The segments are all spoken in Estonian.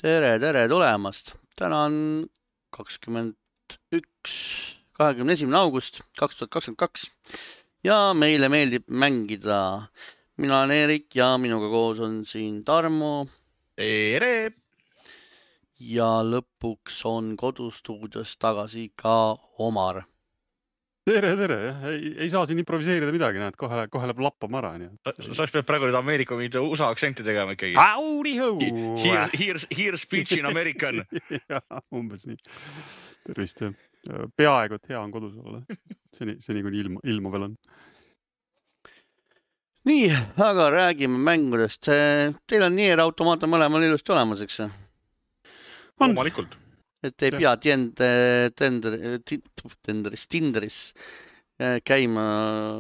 Tere tulemast. Täna on 21. august 2022 ja meile meeldib mängida. Mina olen Erik ja minuga koos on siin Tarmo. Tere! Ja lõpuks on kodustuudios tagasi ka Omar. Tere! Ei saa siin improviseerida midagi, näed, kohe läheb lappama ära. Sa pead praegu nüüd Ameerika mingi USA aktsenti tegema ikkagi. Here speech in American. Ja, umbes nii. Tervist. Peaaegu, et hea on kodus olla. Seni kuni ilma veel on. Nii, aga räägime mängudest. Teil on Nier Automata mõlemal ilusti olemas, eks? Omalikult. Et ei pea Tinderis käima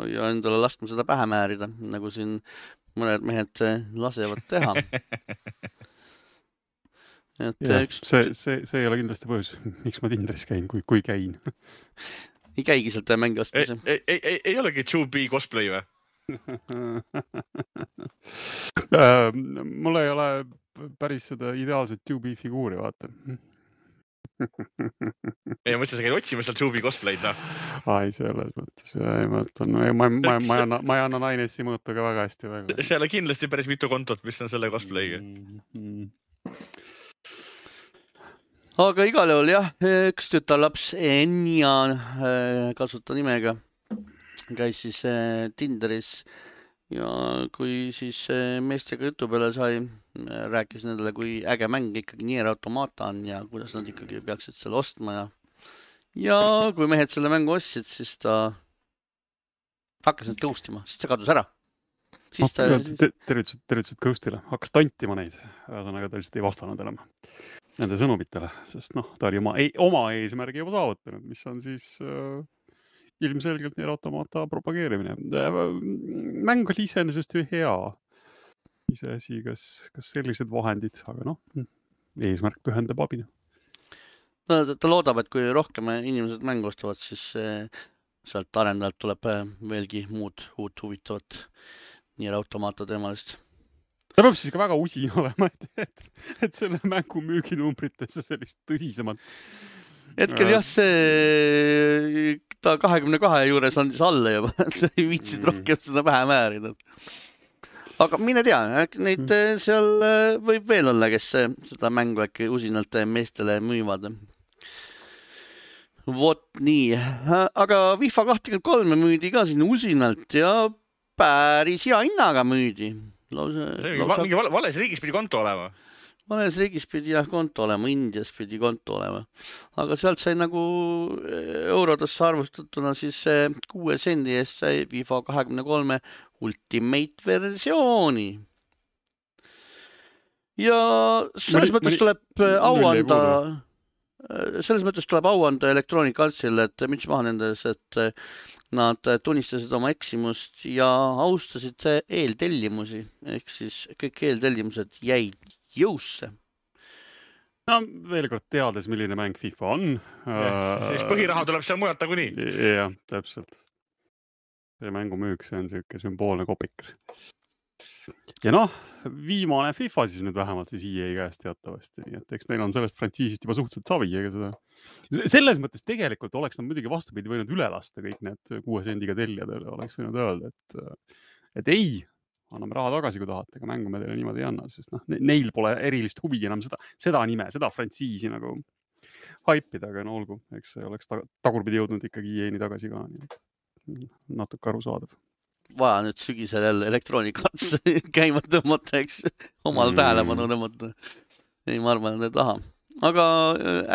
ja endale laskma seda pähe määrida, nagu siin mõned mehed lasevad teha. See ei ole kindlasti põhjus, miks ma Tinderis käin, kui käin. Ei käigi sealt mängi ostmise. Ei olegi 2B cosplay või? Mul ei ole päris seda ideaalset 2B figuuri, vaata. Ei mõtlesin, sa käid otsima seal 2B cosplay'd, noh. Ai, selles mõttes. Ma ei anna Nainessi mõõta ka väga hästi. Seal on kindlasti päris mitu kontot, mis on selle cosplay'ga. Aga igal juhul jah, üks tütarlaps Enya kasuta nimega käis siis Tinderis ja kui siis meestega jutu peale sai, rääkis nendele, kui äge mäng ikkagi Nier Automata on ja kuidas nad ikkagi peaksid selle ostma ja kui mehed selle mängu ostsid, siis ta hakkas neid ghostima, siis ta kadus ära. Tervitused ghostile, hakkas tantima neid, ühesõnaga ta lihtsalt ei vastanud enam nende sõnumitele, sest ta oli oma eesmärgi juba saavutanud, mis on siis ilmselgelt Nier Automata propageerimine. Mäng oli iseenesest ju hea. Iseasi, kas sellised vahendid, aga eesmärk pühendab abina. Ta loodab, et kui rohkem inimesed mängu ostavad, siis sealt arendajalt tuleb veelgi muud uut huvitavat Nier Automata teemalist. Ta peab siis ka väga usin olema, et selle mängu müüginumbrites sellist tõsisemat. Hetkel jah, ta 22 juures on siis alla juba, et sa ei viitsid rohkem seda pähe määrida. Aga mine tea, neid seal võib veel olla, kes seda mängu äkki usinalt meestele müüvad. Vot nii, aga FIFA 23 müüdi ka siin usinalt ja päris hea hinnaga müüdi. Mingi vales riigis pidi konto olema. Vales riigis pidi konto olema, Indias pidi konto olema. Aga sealt sai nagu eurodesse arvustatuna siis 6 sendi eest sai FIFA 23 Ultimate versiooni. Ja selles mõttes tuleb au anda Electronic Artsile, et müts maha nendes, et nad tunnistasid oma eksimust ja austasid eeltellimusi. Ehk siis kõik eeltellimused jäid jõusse. No veel kord teades, milline mäng FIFA on. Siis põhiraha tuleb seal mujalt nagu nii. Jah, täpselt. See mängu müük, see on selline sümboolne kopikas. Ja viimane FIFA siis nüüd vähemalt siis EA käest teatavasti. Nii et eks neil on sellest frantsiisist juba suhteliselt savi. Selles mõttes tegelikult oleks nad muidugi vastupidi võinud üle lasta kõik need 6 sendiga tellijadele. Oleks võinud öelda, et ei, anname raha tagasi, kui tahate, aga mängu me teile niimoodi ei anna. Sest neil pole erilist huvi enam seda nime, seda frantsiisi nagu haipida, aga olgu. Eks see oleks tagurpidi jõudnud ikkagi EA-ni tagasi ka. Natuke arusaadav. Vaja nüüd sügisel jälle Electronic Arts käima tõmmata, eks omal tähelepanu tõmmata. Ei, ma arvan, et ei taha. Aga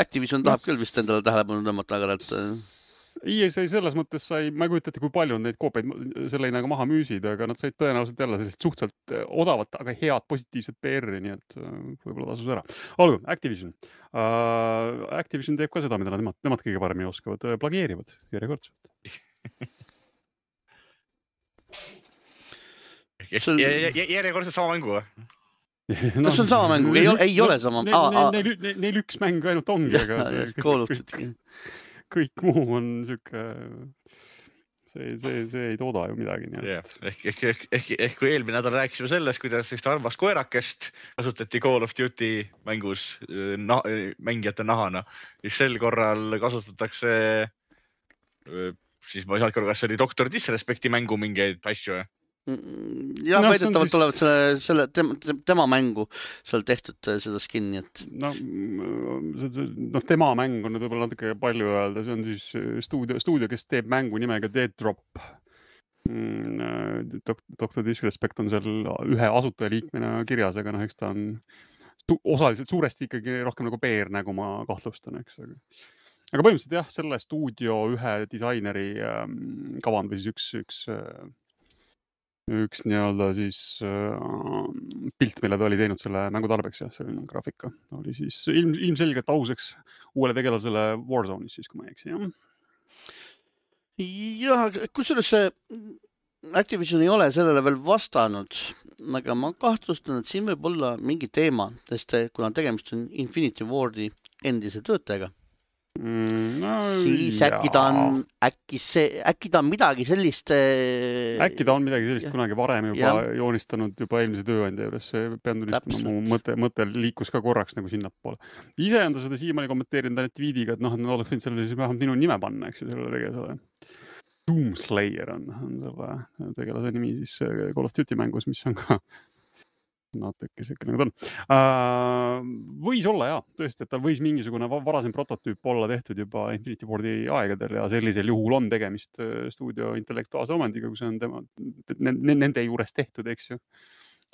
Activision tahab küll vist endale tähelepanu tõmmata, aga EA sai selles mõttes ma ei kujuta ette, kui palju on neid koopeid selle hinnaga maha müüsid, aga nad said tõenäoliselt jälle sellist suhteliselt odavat, aga head positiivset PR-i, nii et võib-olla tasus ära. Olgu, Activision. Activision teeb ka seda, mida nemad kõige paremini oskavad, plageerivad järjekordselt. Järjekordselt sama mängu või? Kas see on sama mängu? Ei ole sama. Neil üks mäng ainult ongi, aga kõik muu on see ei tooda ju midagi. Ehk kui eelmine nädal rääkisime sellest, kuidas vist arvast koerakest kasutati Call of Duty mängus mängijate nahana, siis sel korral kasutatakse, siis ma ei saanud korra, kas see oli Dr. Disrespecti mängu mingeid asju. Ja väidetavalt tulevad selle tema mängu seal tehtud seda skinni, et... No tema mäng on võib-olla natuke palju öelda, see on siis stuudio, kes teeb mängu nimega Dead Drop. Dr. Disrespect on seal ühe asutajaliikmena kirjas, aga eks ta on osaliselt suuresti ikkagi rohkem nagu PR-nägu, ma kahtlustan, eks. Aga põhimõtteliselt jah, selle stuudio ühe disaineri kavand või siis üks nii-öelda siis pilt, mille ta oli teinud selle mängu tarbeks ja selline graafika oli siis ilmselgelt auseks uuele tegelasele Warzone'is siis, kui ma ei eksi, jah, kusjuures Activision ei ole sellele veel vastanud, aga ma kahtlustan, et siin võib olla mingi teema, sest kuna tegemist on Infinity Wardi endise töötajaga, siis äkki ta on midagi sellist... Äkki ta on midagi sellist kunagi varem juba joonistanud juba eelmise tööandja juures. Pean tunnistama, mu mõte liikus ka korraks nagu sinnapoole. Ise on ta seda siiamaani kommenteerinud ainult tweediga, et nad oleks võinud sellele siis vähemalt minu nime panna, eks ju, sellele tegelasele. Doomslayer on selle tegelase nimi siis Call of Duty mängus, mis on ka natuke selline nagu ta on. Võis olla jah, tõesti, et tal võis mingisugune varasem prototüüp olla tehtud juba Infinity Wardi aegadel ja sellisel juhul on tegemist stuudio intellektuaalse omandiga, kui see on nende juures tehtud, eks ju.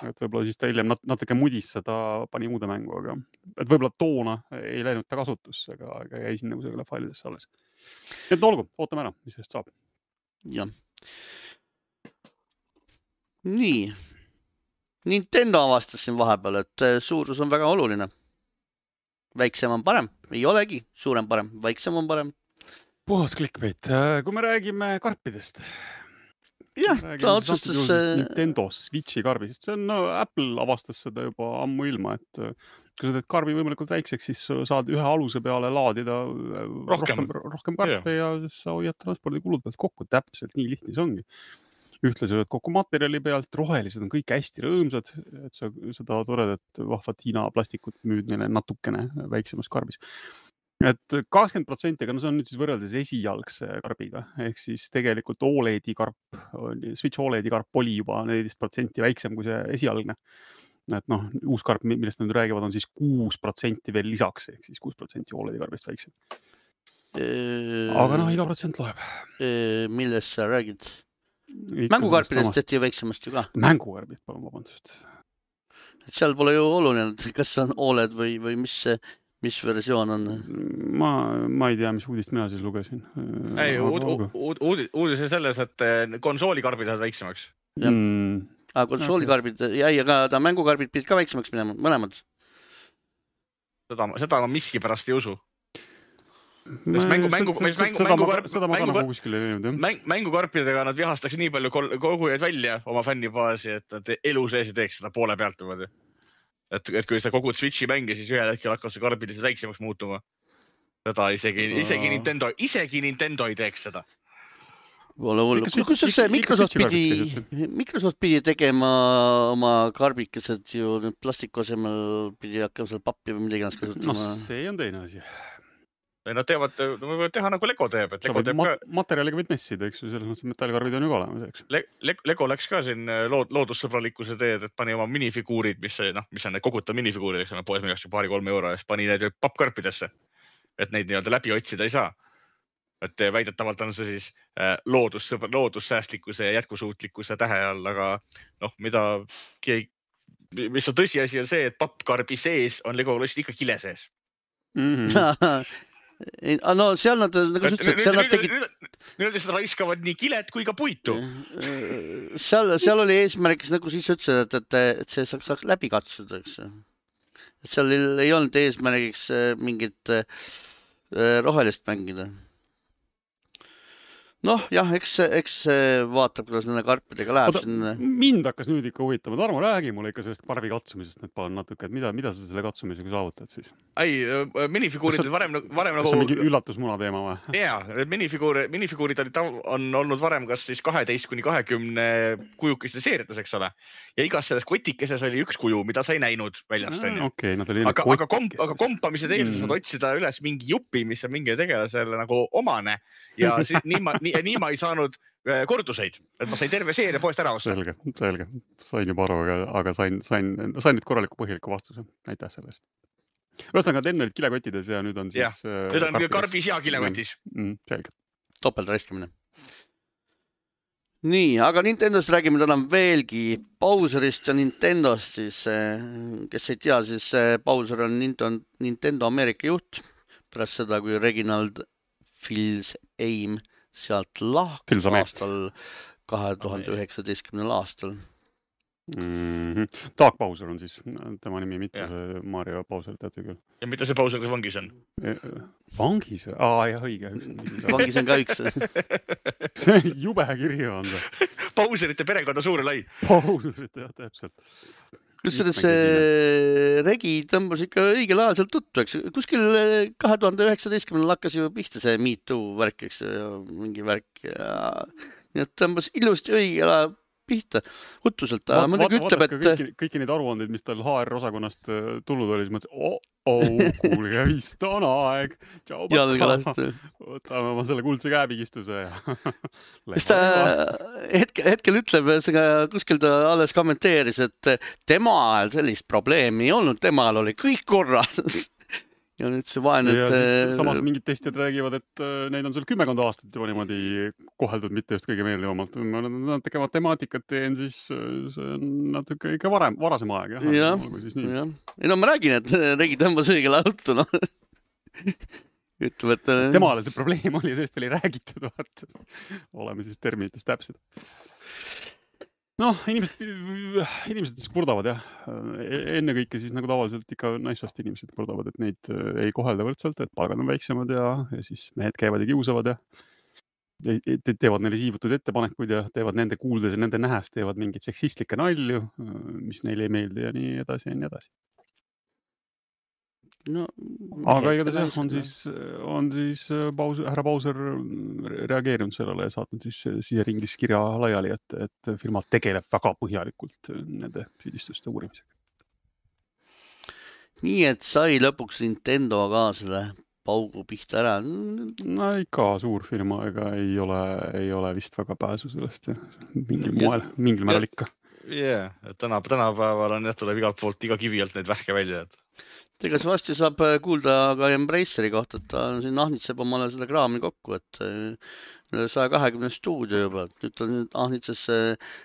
Et võib-olla siis ta hiljem natuke mudis seda pani muude mängu, aga et võib-olla toona ei läinud ta kasutusse, aga jäi siin nagu selle failidesse alles. Et olgu, ootame ära, mis sellest saab. Jah. Nii. Nintendo avastas siin vahepeal, et suurus on väga oluline. Väiksem on parem. Ei olegi. Suurem parem. Väiksem on parem. Puhas clickbait. Kui me räägime karpidest. Jah, ta otsustas... Nintendo Switchi karbi, sest see on, Apple avastas seda juba ammu ilma, et kui sa teed karbi võimalikult väikseks, siis saad ühe aluse peale laadida rohkem karpe ja sa hoiad transpordikulud pealt kokku. Täpselt nii lihtne see ongi. Ühtlasi oled kokku materjali pealt, rohelised on kõik hästi rõõmsad, et sa seda toredat vahvat Hiina plastikut müüd neile natukene väiksemas karbis. Et 20%, aga see on nüüd siis võrreldes esialgse karbiga, ehk siis tegelikult Switch OLED-i karp oli juba 14% väiksem kui see esialgne. Et uus karp, millest nad räägivad, on siis 6% veel lisaks, ehk siis 6% OLED-i karbist väiksem. Aga iga protsent loeb. Millest sa räägid? Mängukarpidest tehti väiksemast ju ka. Mängukarbid, palun vabandust. Et seal pole ju oluline, kas on OLED või mis versioon on? Ma ei tea, mis uudist mina siis lugesin. Ei, uudis on selles, et konsoolikarbid on väiksemaks. Konsoolikarbid, aga ta mängukarbid pidid ka väiksemaks minema, mõlemad. Seda ma miskipärast ei usu. Mängukarpidega nad vihastaks nii palju kogujaid välja oma fännibaasi, et nad elu sees ei teeks seda poole pealt. Et kui sa kogud Switchi mängi, siis ühel hetkel hakkab see karbid väiksemaks muutuma. Seda isegi Nintendo ei teeks seda. Kusjuures Microsoft pidi tegema oma karbikesed ju plastiku asemel pidi hakkama seal pappi või midagi kasutama. See on teine asi. Nad võivad teha nagu Lego teeb. Materjaliga võid messida, eks ju, selles mõttes metallkarvid on ju ka olemas, eks. Lego läks ka siin loodussõbralikkuse teed, et pani oma minifiguurid, mis on need koguta minifiguurid, eks on poes mingast 2-3 euro, ja siis pani need pappkarpidesse, et neid nii-öelda läbi otsida ei saa. Et väidetavalt on see siis loodussäästlikkuse ja jätkusuutlikkuse tähe all, aga mis on tõsiasi on see, et pappkarbi sees on Lego lost ikka kile sees. No seal nad, nagu sa ütlesid, seal nad tegid... Nüüd seda raiskavad nii kilet kui ka puitu. Seal oli eesmärgis, nagu siis ütlesid, et see saaks läbi katsuda, eks. Et seal ei olnud eesmärgiks mingit rohelist mängida. Noh, jah, eks vaatab, kuidas nende karpidega läheb siin. Mind hakkas nüüd ikka huvitama. Tarmo, räägi mulle ikka sellest karbi katsumisest nüüd palun natuke, et mida sa selle katsumisega saavutad siis? Ei, minifiguurid varem Kas nagu... see on mingi üllatusmuna teema või? Jaa, minifiguurid on olnud varem kas siis 12-20 kujukiste seeriates, eks ole. Ja igas selles kotikeses oli üks kuju, mida sa ei näinud väljast. Okei, nad oli aga kompamise teel sa saad otsida üles mingi jupi, mis on mingi tegelasele nagu omane. Ja nii ma ei saanud korduseid, et ma sain terve seeria poest ära osta. Selge. Sain juba aru, aga sain nüüd korraliku põhjaliku vastuse. Aitäh selle eest. Ühesõnaga, enne olid kilekotides ja nüüd on siis... Nüüd on karbis ja kilekotis. Selge. Topeltraiskimine. Nii, aga Nintendost räägime täna veelgi Bowserist ja Nintendost siis. Kes ei tea, siis Bowser on Nintendo Ameerika juht. Pärast seda, kui Reginald Fils-Aime sealt lahkus aastal 2019. aastal. Dark Bowser on siis tema nimi, mitte see Mario Bowser, teate küll. Ja mitte see Bowser, kes vangis on? Vangis? Jah, õige. Vangis on ka üks. See jube kirju on see. Bowserite perekonda suur ja lai. Bowserite, jah, täpselt. Kusjuures Regi tõmbas ikka õigel ajal sealt tuttu, eks. Kuskil 2019 hakkas ju pihta see Me Too värk, eks, mingi värk. Nii et tõmbas ilusti õigel ajal pihta, hutuselt. Mõnegi ütleb, et... Kõiki neid aruandeid, mis tal HR-osakonnast tulnud oli, siis mõtlesin, kuulge, vist on aeg. Jalgalast. Võtame oma selle kuldse käepigistuse ja... Sest ta hetkel ütleb, kuskil ta alles kommenteeris, et tema ajal sellist probleemi ei olnud, tema ajal oli kõik korras. Ja nüüd see vaene, et... Samas mingid testijad räägivad, et neid on seal 10 aastat juba niimoodi koheldud, mitte just kõige meeldivamalt. Ma natuke matemaatikat teen, siis see on natuke ikka varasem aeg. Jah. Ei no ma räägin, et Regi tõmbas õigel auto, noh. Ütleb, et... Temale see probleem oli, sellest veel ei räägitud, vaata. Oleme siis terminites täpsed. Noh, inimesed siis kurdavad, jah. Enne kõike siis nagu tavaliselt ikka naissoost inimesed kurdavad, et neid ei kohelda võrdselt, et palgad on väiksemad ja siis mehed käivad ja kiusavad ja teevad neile siivutud ettepanekuid ja teevad nende kuuldes ja nende nähes teevad mingeid seksistlikke nalju, mis neile ei meeldi ja nii edasi ja nii edasi. No, aga igatahes on siis härra Bowser reageerinud sellele ja saatnud siis siseringis kirja laiali, et firma tegeleb väga põhjalikult nende süüdistuste uurimisega. Nii, et sai lõpuks Nintendo ka selle paugu pihta ära. No ikka suur firma, ega ei ole vist väga pääsu sellest ja mingil määral ikka. Jah, tänapäeval on tuleb igalt poolt iga kivi alt neid vähke välja, et Ega see vasti saab kuulda ka Embraceri kohta, et ta siin ahnitseb omale selle kraami kokku, et 120 stuudio juba, et nüüd ta ahnitses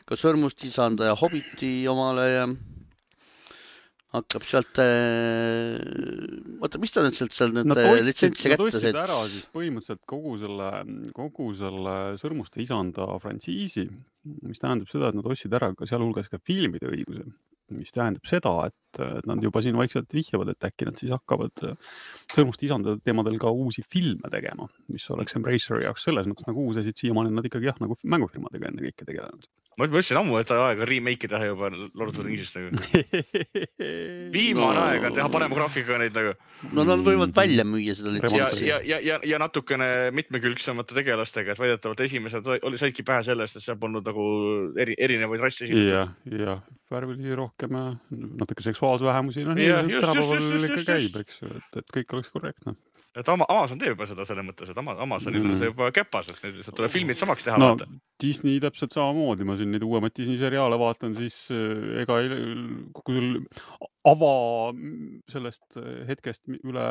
ka Sõrmust isanda ja Hobbiti omale ja hakkab sealt, mis ta nüüd seal nüüd litsentsi kätte tõstsid ära siis põhimõtteliselt kogu selle Sõrmuste isanda frantsiisi, mis tähendab seda, et nad ostsid ära ka sealhulgas ka filmide õiguse, mis tähendab seda, et nad juba siin vaikselt vihjavad, et äkki nad siis hakkavad Sõrmuste isanda teemadel ka uusi filme tegema, mis oleks Embraceri jaoks selles mõttes nagu uus asi, et siiamaani nad ikkagi nagu mängufirmadega enne kõike tegelenud. Ma ütlesin ammu, et aega remake teha juba Lord of the Ringsist nagu. Viimane aeg on teha parema graafikaga neid nagu. No nad võivad välja müüa seda litsentsi. Ja natukene mitmekülgsemate tegelastega, et väidetavalt esimesed saidki pähe sellest, et seal polnud nagu erinevaid rassi. Ja värvilisi rohkem, natuke seksuaalsvähemusi, tänapäeval ikka käib, eks, et kõik oleks korrektne. Et Amazon teeb juba seda selle mõttes, et Amazonil on see juba käpas, et nüüd lihtsalt tuleb filmid samaks teha. No Disney täpselt samamoodi, ma siin neid uuemad Disney seriaale vaatan, siis ega kui sul sellest hetkest üle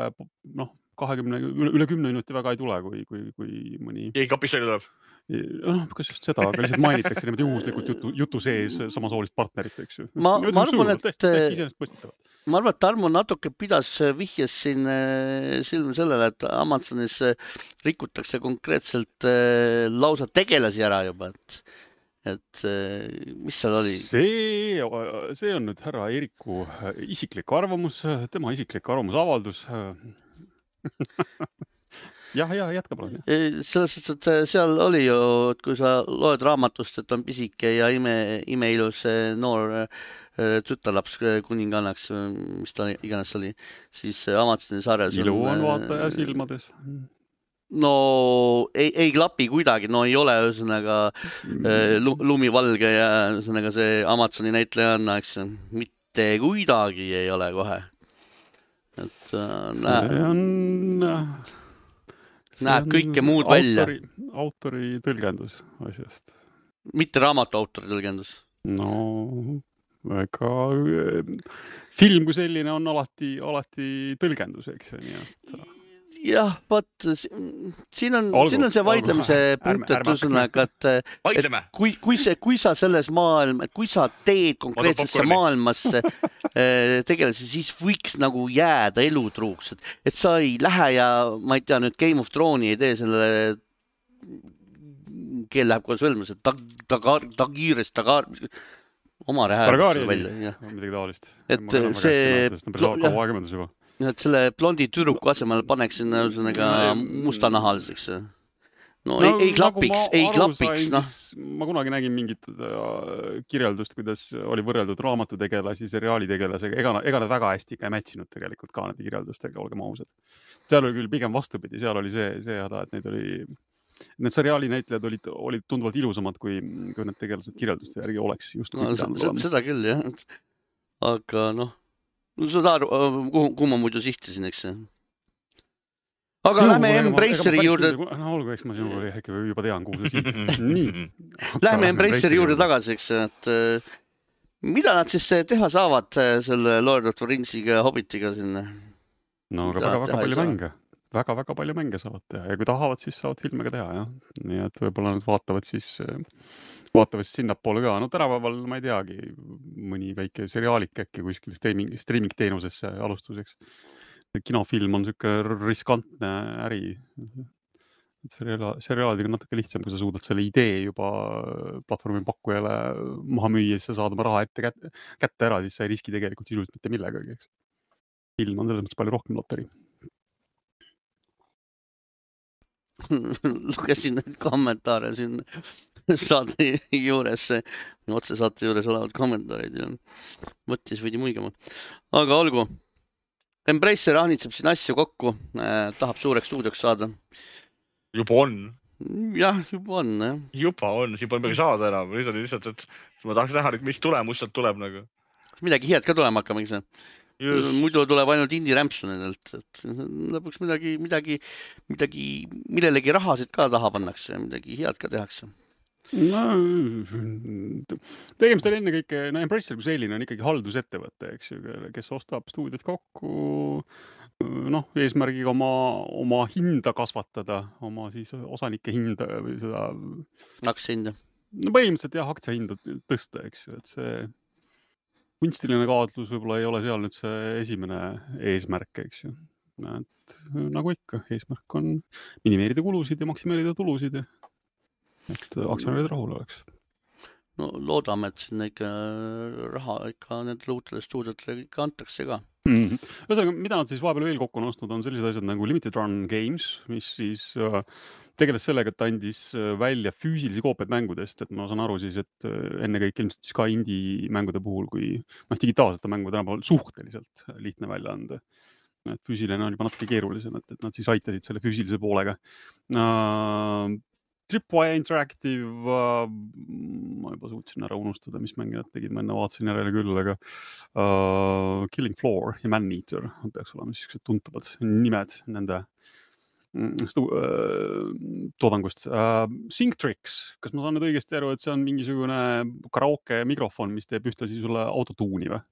10 minuti väga ei tule, kui mõni... Keegi kapist välja tuleb? Kas just seda, aga lihtsalt mainitakse niimoodi juhuslikult jutu sees samasoolist partnerit, eks ju. Ma arvan, et Tarmo natuke vihjes siin silm sellele, et Amazonis rikutakse konkreetselt lausa tegelasi ära juba, et mis seal oli? See on nüüd härra Eeriku isiklik arvamus, tema isiklik arvamusavaldus. jah, jätka palun. Selles suhtes, et seal oli ju, et kui sa loed raamatust, et on pisike ja imeilus noor tütarlaps kuningannaks, mis ta iganes oli, siis Amazoni sarjas ilu on vaataja silmades. No ei klapi kuidagi, no ei ole ühesõnaga lumivalge ja ühesõnaga see Amazoni näitlejanna, eks mitte kuidagi ei ole kohe. Et näeb kõike muud välja. Autori tõlgendus asjast. Mitte raamatu autori tõlgendus. No, ega film kui selline on alati tõlgendus, eks ju, nii et... Jah, vaat, siin on see vaidlemise punkt, et ühesõnaga, et kui sa selles kui sa teed konkreetsesse maailmasse tegelasi, siis võiks nagu jääda elutruuks, et sa ei lähe ja ma ei tea nüüd Game of Thrones'i ei tee sellele keel läheb kohe sõlmus, et ta kiiresti oma rääduse välja. Midagi taolist. Et see et selle blondi tüdruku asemel paneksin mustanahaliseks. No ei klapiks. Ma kunagi nägin mingit kirjeldust, kuidas oli võrreldud raamatutegelasi seriaalitegelasega. Ega nad väga hästi ei mätsinud tegelikult ka nende kirjeldustega, olgem ausad. Seal oli küll pigem vastupidi, seal oli see häda, et need seriaali näitlejad olid tunduvalt ilusamad, kui need tegelased kirjelduste järgi oleks. Seda küll, jah. Aga sa tahad, kuhu ma muidu sihtisin, eks see? Aga lähme Embraceri juurde... Olgu, eks ma sinuga juba tean, kuhu sa sihtid. Nii. Lähme Embraceri juurde tagasi, eks, et mida nad siis teha saavad selle Lord of the Ringsiga, Hobbitiga sinna? No, aga väga palju mänge. Väga palju mänge saavad teha. Ja kui tahavad, siis saavad filme ka teha, jah. Nii et võib-olla nad vaatavad sinnapoole ka. No tänapäeval ma ei teagi, mõni väike seriaalik äkki kuskil streaming teenusesse alustuseks. Kinofilm on siuke riskantne äri. Seriaalidega natuke lihtsam, kui sa suudad selle idee juba platvormi pakkujale maha müüa, siis sa saad oma raha kätte ära, siis sa ei riski tegelikult sisuliselt mitte millegagi. Film on selles mõttes palju rohkem loteri. Lugesin neid kommentaare siin saate juures, otse saate juures olevad kommentaarid ja mõttis võidi muigama. Aga olgu, Embracer ahnitseb siin asju kokku, tahab suureks stuudioks saada. Juba on. Jah, juba on. Juba on midagi saada enam. Lihtsalt, et ma tahaks näha, mis tulemus sealt tuleb nagu. Midagi head ka tulema hakkama, eks see? Muidu tuleb ainult indie-rämpsu nendelt, et lõpuks midagi, millelegi rahasid ka taha pannakse ja midagi head ka tehakse. No, tegemist on enne kõike, Embracer kui selline on ikkagi haldusettevõte, eks ju, kes ostab stuudiot kokku, eesmärgiga oma hinda kasvatada, oma siis osanike hinda või seda... Aktsiahinda. No põhimõtteliselt jah, aktsiahinda tõsta, eks ju, et see... kunstiline kaatlus võib-olla ei ole seal nüüd see esimene eesmärk, eks ju. Et, nagu ikka, eesmärk on minimeerida kulusid ja maksimeerida tulusid, et aktsionärid rahul oleks. No loodame, et sinna ikka raha ikka nendele uutele stuudiotele ikka antakse ka. Ühesõnaga, mida nad siis vahepeal veel kokku on ostnud, on sellised asjad nagu Limited Run Games, mis siis tegeles sellega, et andis välja füüsilisi koopiaid mängudest, et ma saan aru siis, et enne kõik ilmselt siis ka indie mängude puhul, kui digitaalsete mängude tänapäeval suhteliselt lihtne välja anda. Et füüsiline on juba natuke keerulisem, et nad siis aitasid selle füüsilise poolega. Tripwire Interactive, ma juba suutsin ära unustada, mis mänge nad tegid, ma enne vaatasin järele küll, aga Killing Floor ja Man-Eater peaks olema sellised tuntavad nimed nende toodangust. Synctrix, kas ma saan nüüd õigesti aru, et see on mingisugune karaoke mikrofon, mis teeb ühtlasi sulle autotuuni või?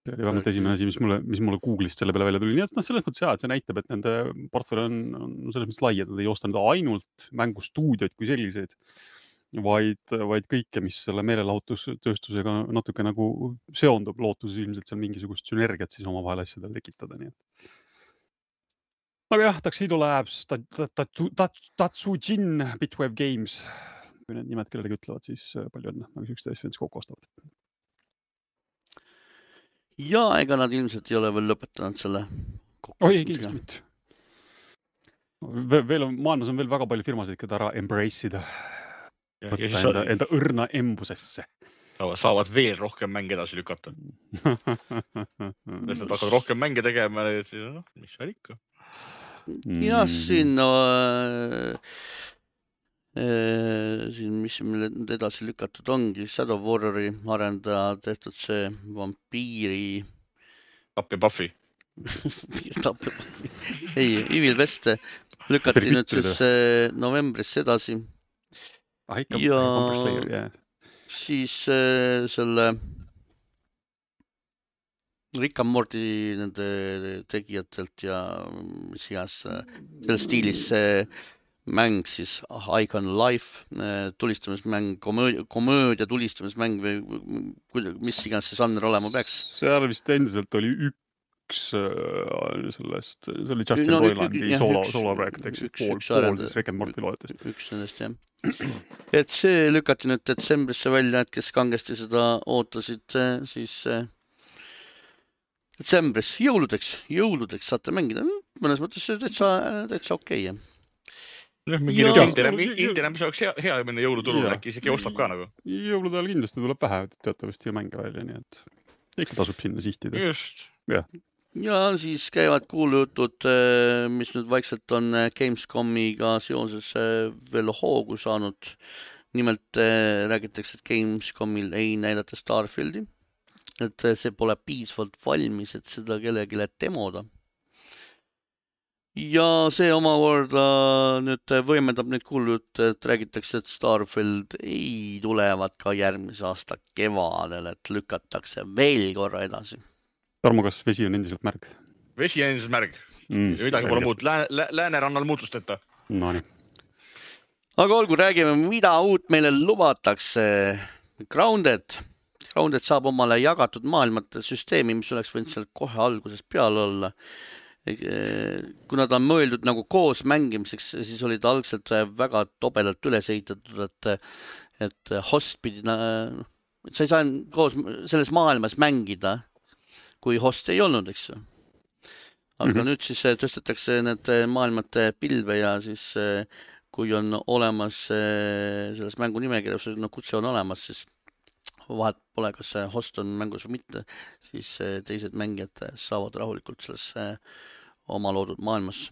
See oli vähemalt esimene asi, mis mulle Google'ist selle peale välja tuli. Nii et selles mõttes jah, et see näitab, et nende portfell on selles mõttes lai, et nad ei osta ainult mängustuudioid kui selliseid, vaid kõike, mis selle meelelahutustööstusega natuke nagu seondub lootuses ilmselt seal mingisugust sünergiat siis oma vahel asjadel tekitada. Nii et. Aga jah, Tuxedo Labs, Tatsujin, Bitwave Games, kui need nimed kellelegi ütlevad, siis palju õnne, aga sükste asju endis kokku ostavad. Ja ega nad ilmselt ei ole veel lõpetanud selle kokku. Oi, kindlasti mitte. maailmas on veel väga palju firmasid, keda ära embrace'ida, Ja võtta enda õrna embusesse. saavad veel rohkem mänge edasi lükata. Nad hakkavad rohkem mänge tegema, mis seal ikka. Jah, siin mis meil nüüd edasi lükatud ongi, Shadow Warriori arendaja tehtud see vampiiri Tapja Buffy. ei, Evil West lükati nüüd siis novembris edasi. Ja siis selle Rick and Morty nende tegijatelt ja mis iganes selles stiilis mäng siis Icon Life, tulistamismäng, komöödia tulistamismäng või mis iganes see žanr olema peaks. Seal vist endiselt oli üks sellest, see oli Justin Roilandi sooloprojekt, eks pool siis Rick and Morty loetest. Üks nendest, jah. Et see lükati nüüd detsembrisse välja, et kes kangesti seda ootasid, siis detsembris jõuludeks saate mängida. Mõnes mõttes täitsa okei. Internet, mis oleks hea minna jõuluturule, äkki isegi ostab ka nagu. Jõulude ajal kindlasti tuleb vähe teatavasti mänge välja, nii et ikka tasub sinna sihtida. Just. Ja siis käivad kuulujutud, mis nüüd vaikselt on Gamescomiga seoses veel hoogu saanud. Nimelt räägitakse, et Gamescomil ei näidata Starfieldi, et see pole piisavalt valmis, et seda kellelegi demoda. Ja see omakorda nüüd võimendab neid kuulujutte, et räägitakse, et Starfield ei tulevad ka järgmise aasta kevadel, et lükatakse veel korra edasi. Tarmo, kas vesi on endiselt märg? Vesi on endiselt märg. Midagi pole muud. Läänerannal muutusteta. No nii. Aga olgu, räägime, mida uut meile lubatakse. Grounded saab omale jagatud maailmate süsteemi, mis oleks võinud seal kohe alguses peal olla. Kuna ta on mõeldud nagu koos mängimiseks, siis oli ta algselt väga tobedalt üles ehitatud, et host pidi, sa ei saa koos selles maailmas mängida, kui host ei olnud, eks. Aga nüüd siis tõstetakse need maailmate pilve ja siis kui on olemas selles mängu nimekirjas, kutse on olemas, siis vahet pole, kas host on mängus või mitte, siis teised mängijad saavad rahulikult selles oma loodud maailmas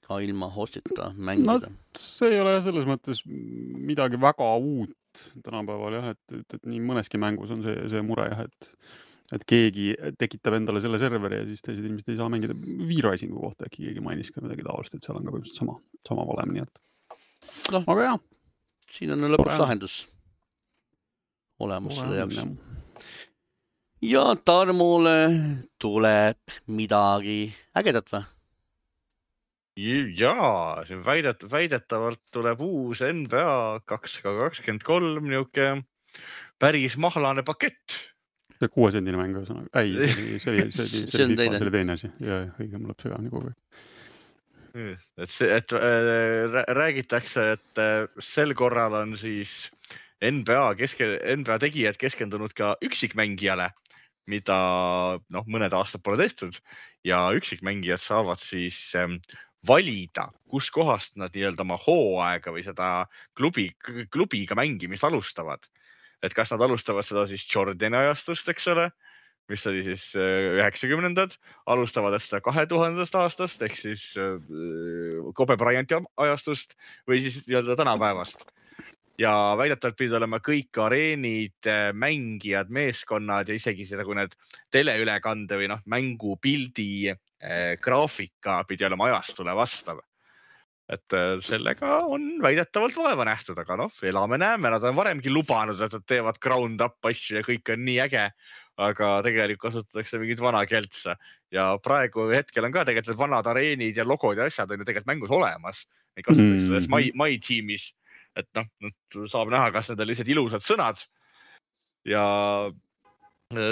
ka ilma hostita mängida. See ei ole selles mõttes midagi väga uut tänapäeval, jah, et nii mõneski mängus on see mure, jah, et keegi tekitab endale selle serveri ja siis teised inimesed ei saa mängida. V-Risingu kohta äkki keegi mainis ka midagi taolist, et seal on ka põhimõtteliselt sama valem, nii et. Aga jah. Siin on lõpuks lahendus olemas selle jaoks. Ja Tarmole tuleb midagi ägedat või? Jaa, siin väidetavalt tuleb uus NBA 2K23 niuke päris mahlane pakett. See 6 sendine mäng, see oli teine asi. Ja õige, mul läheb segamini kogu aeg. Räägitakse, et sel korral on siis NBA tegijad keskendunud ka üksikmängijale, mida mõned aastad pole tehtud ja üksikmängijad saavad siis valida, kus kohast nad oma hooaega või seda klubiga mängimist alustavad. Et kas nad alustavad seda siis Jordani ajastust, eks ole, mis oli siis 90-ndad, alustavad seda 2000. aastast, ehk siis Kobe Bryanti ajastust või siis tänapäevast. Ja väidetavalt pidid olema kõik areenid, mängijad, meeskonnad ja isegi nagu need teleülekande või mängupildi graafika pidi olema ajastule vastav. Et sellega on väidetavalt vaeva nähtud, aga elame-näeme, nad on varemgi lubanud, et nad teevad ground up asju ja kõik on nii äge, aga tegelikult kasutatakse mingit vana keltsa. Ja praegu hetkel on ka tegelikult vanad areenid ja logod ja asjad on ju tegelikult mängus olemas. Neid kasutatakse selles My Teamis, et saab näha, kas need on lihtsalt ilusad sõnad. Ja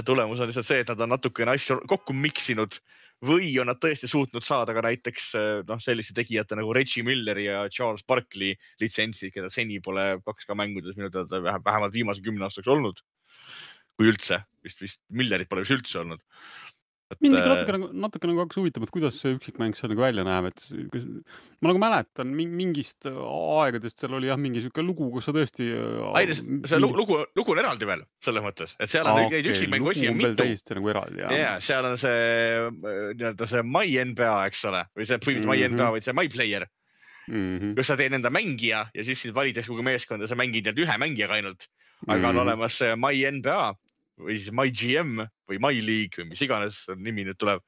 tulemus on lihtsalt see, et nad on natukene asju kokku miksinud või on nad tõesti suutnud saada ka näiteks selliste tegijate nagu Reggie Milleri ja Charles Barkley litsentsi, keda seni pole 2K mängudes minu teada vähemalt viimase 10 aastaks olnud. Kui üldse, vist Millerit pole üldse olnud. Mind ikka natuke nagu hakkas huvitama, et kuidas see üksikmäng seal nagu välja näeb, et ma nagu mäletan mingist aegadest seal oli jah mingi siuke lugu, kus sa tõesti... see lugu on eraldi veel, selles mõttes, et seal on neid üksikmängu osi on mitu. Täiesti nagu eraldi, jah. Ja, seal on see My NBA, eks ole, või see My NBA, või see My Player, kus sa teed enda mängija ja siis valitakse kogu meeskonda, sa mängid ühe mängijaga ainult, aga on olemas see My NBA, või siis My GM või My League või mis iganes nimi nüüd tuleb,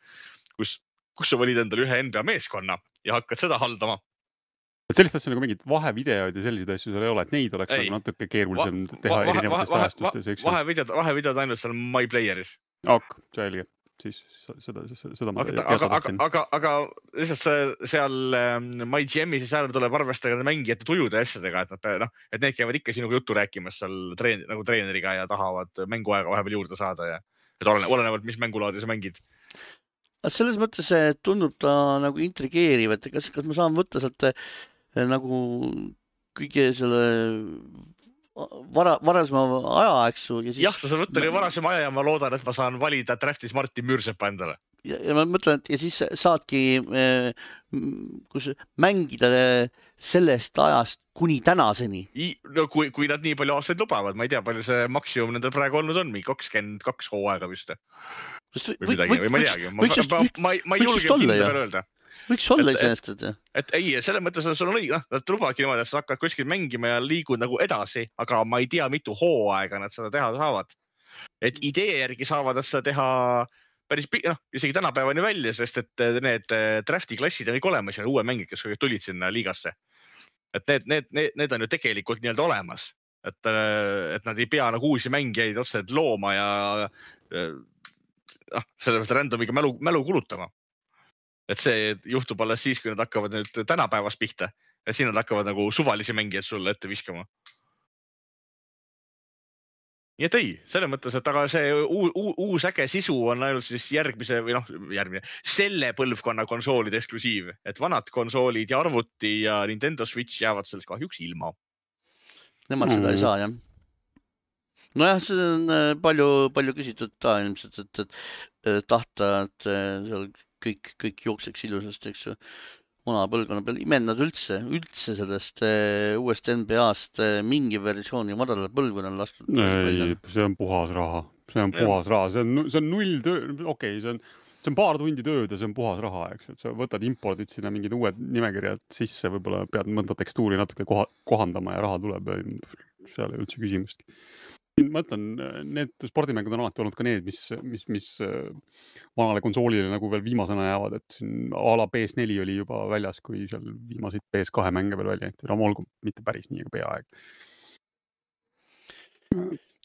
kus sa valid endale ühe NBA meeskonna ja hakkad seda haldama. Et sellist asja nagu mingid vahevideoid ja selliseid asju seal ei ole, et neid oleks nagu natuke keerulisem teha erinevatest ajastustes. Vahevideod ainult seal My Playeris. Selge. Siis seda ma aga lihtsalt seal My GM-i siis ära tuleb arvestada mängijate tujude asjadega, et need käivad ikka sinuga juttu rääkimas seal nagu treeneriga ja tahavad mänguaega vahepeal juurde saada ja olenevalt, mis mängulaadi sa mängid. Selles mõttes tundub ta nagu intrigeeriv, et kas ma saan võtta sealt nagu kõige selle varasema aja, eksu. Jah, sa saad võtta varasema aja ja ma loodan, et ma saan valida draftis Martin Müürsepa endale. Ja ma mõtlen, et ja siis saadki mängida sellest ajast kuni tänaseni. No, kui nad nii palju aastaid lubavad, ma ei tea, palju see maksimum nendel praegu olnud on, 22 hooaega vist. Või midagi, või ma ei teagi. Ma ei julge kindla peale öelda. Võiks olla iseenesest. Et ei, selle mõttes sul on õige, nad lubavadki niimoodi, et sa hakkad kuskil mängima ja liigud nagu edasi, aga ma ei tea, mitu hooaega nad seda teha saavad. Et idee järgi saavad seda teha päris isegi tänapäevani välja, sest et need drafti klassid on kõik olemas ja uue mängid, kes tulid sinna liigasse. Et need on ju tegelikult nii-öelda olemas. Et nad ei pea nagu uusi mängijaid otseselt looma ja sellepärast randomiga mälu kulutama. Et see juhtub alles siis, kui nad hakkavad nüüd tänapäevas pihta. Ja siin nad hakkavad nagu suvalisi mängijaid sulle ette viskama. Nii et ei, selle mõttes, et aga see uus äge sisu on ainult siis järgmise, selle põlvkonna konsoolide eksklusiiv. Et vanad konsoolid ja arvuti ja Nintendo Switch jäävad sellest kahjuks ilma. Nemad seda ei saa, jah. Nojah, see on palju küsitud ta ilmselt, et tahta, et seal kõik jookseks ilusast, eks ju, vana põlvkonna peal. Imennad üldse sellest uuest NBA-st mingi versiooni madalal põlvkonnal lastud. Ei, see on puhas raha. See on null töö, okei, see on paar tundi tööd ja see on puhas raha, eks. Et sa võtad impordid sinna mingid uued nimekirjad sisse, võib-olla pead mõnda tekstuuri natuke kohandama ja raha tuleb. Seal ei üldse küsimustki. Ma ütlen, need spordimängud on alati olnud ka need, mis vanale konsoolile nagu veel viimasena jäävad, et a la PS4 oli juba väljas, kui seal viimaseid PS2 mänge veel välja jäeti. Olgu mitte päris nii, aga peaaegu.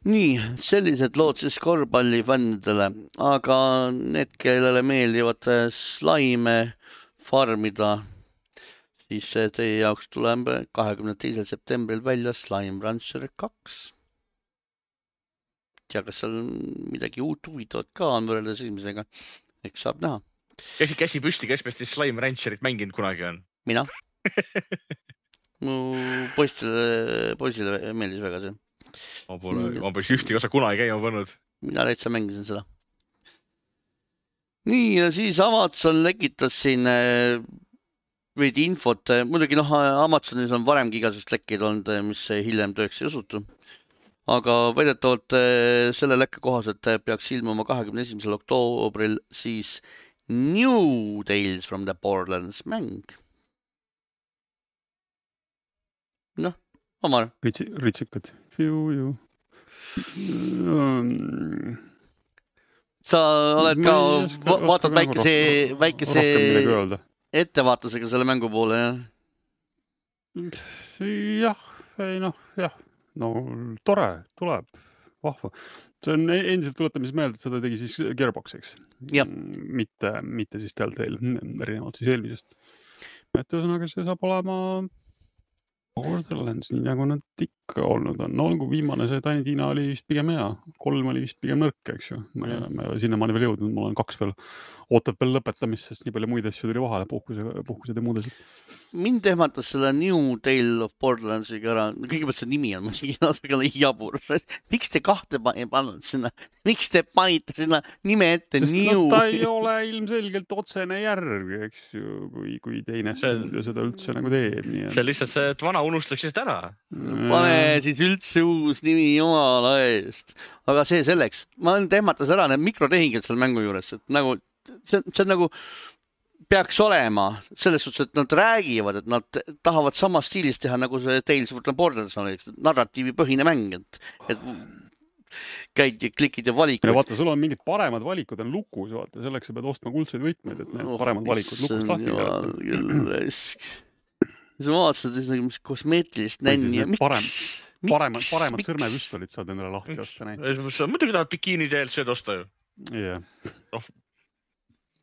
Nii, sellised lood siis korvpallifännidele, aga need, kellele meeldivad slaime farmida, siis teie jaoks tuleb 22. septembril välja Slime Rancher 2. Ja kas seal midagi uut huvitavat ka on võrreldes esimesega, eks saab näha. Käsi püsti, kes meist Slime Rancherit mänginud kunagi on? Mina. Mu poisile meeldis väga see. Ma pole ühtegi osa kunagi käima pannud. Mina täitsa mängisin seda. Nii, ja siis Amazon lekitas siin veidi infot. Muidugi Amazonis on varemgi igasugust lekkeid olnud, mis hiljem tööks ei osutu. Aga väidetavalt selle lekke kohaselt peaks ilmuma 21. oktoobril siis New Tales from the Borderlands mäng. Omar. Ritsikad. Sa oled ka, vaatad väikese ettevaatusega selle mängu poole, jah? Jah. No tore, tuleb, vahva. See on endiselt tuletamis meelde, et seda tegi siis Gearbox, eks. Mitte siis Telltale, erinevalt siis eelmisest. Et ühesõnaga see saab olema Borderlands, nii nagu nad olnud on. No olgu, viimane see Tiny Tina oli vist pigem hea. 3 oli vist pigem nõrk, eks ju. Ma ei ole sinnamaani veel jõudnud. Mul on 2 veel, ootab veel lõpetamist, sest nii palju muid asju tuli vahele, puhkused ja muud asjad. Mind ehmatas selle New Tale of Borderlandsiga ära. Kõigepealt see nimi on natuke jabur. Miks te 2 pannud sinna? Miks te panite sinna nime ette sest New? ta ei ole ilmselgelt otsene järg, eks ju, kui teine stuudio seda üldse nagu teeb. See on lihtsalt see, et vana unustaks lihtsalt ära. Pane siis üldse uus nimi jumala eest. Aga see selleks. Ma ehmatas ära need mikrotehingid seal mängu juures. Et nagu, see on nagu peaks olema selles suhtes, et nad räägivad, et nad tahavad sama stiilis teha, nagu see Tales of the Borderlands oli, narratiivi põhine mäng, et käid ja klikid ja valikud. Ja vaata, sul on mingid paremad valikud on lukus, vaata, selleks sa pead ostma kuldseid võtmeid, et need paremad valikud lukust lahti keerata. Siis ma vaatasin, et mis kosmeetilist nänni ja miks? Paremad sõrmepüstolid saad endale lahti osta neid. Muidugi tahad bikiini DLC-d osta ju. Jah.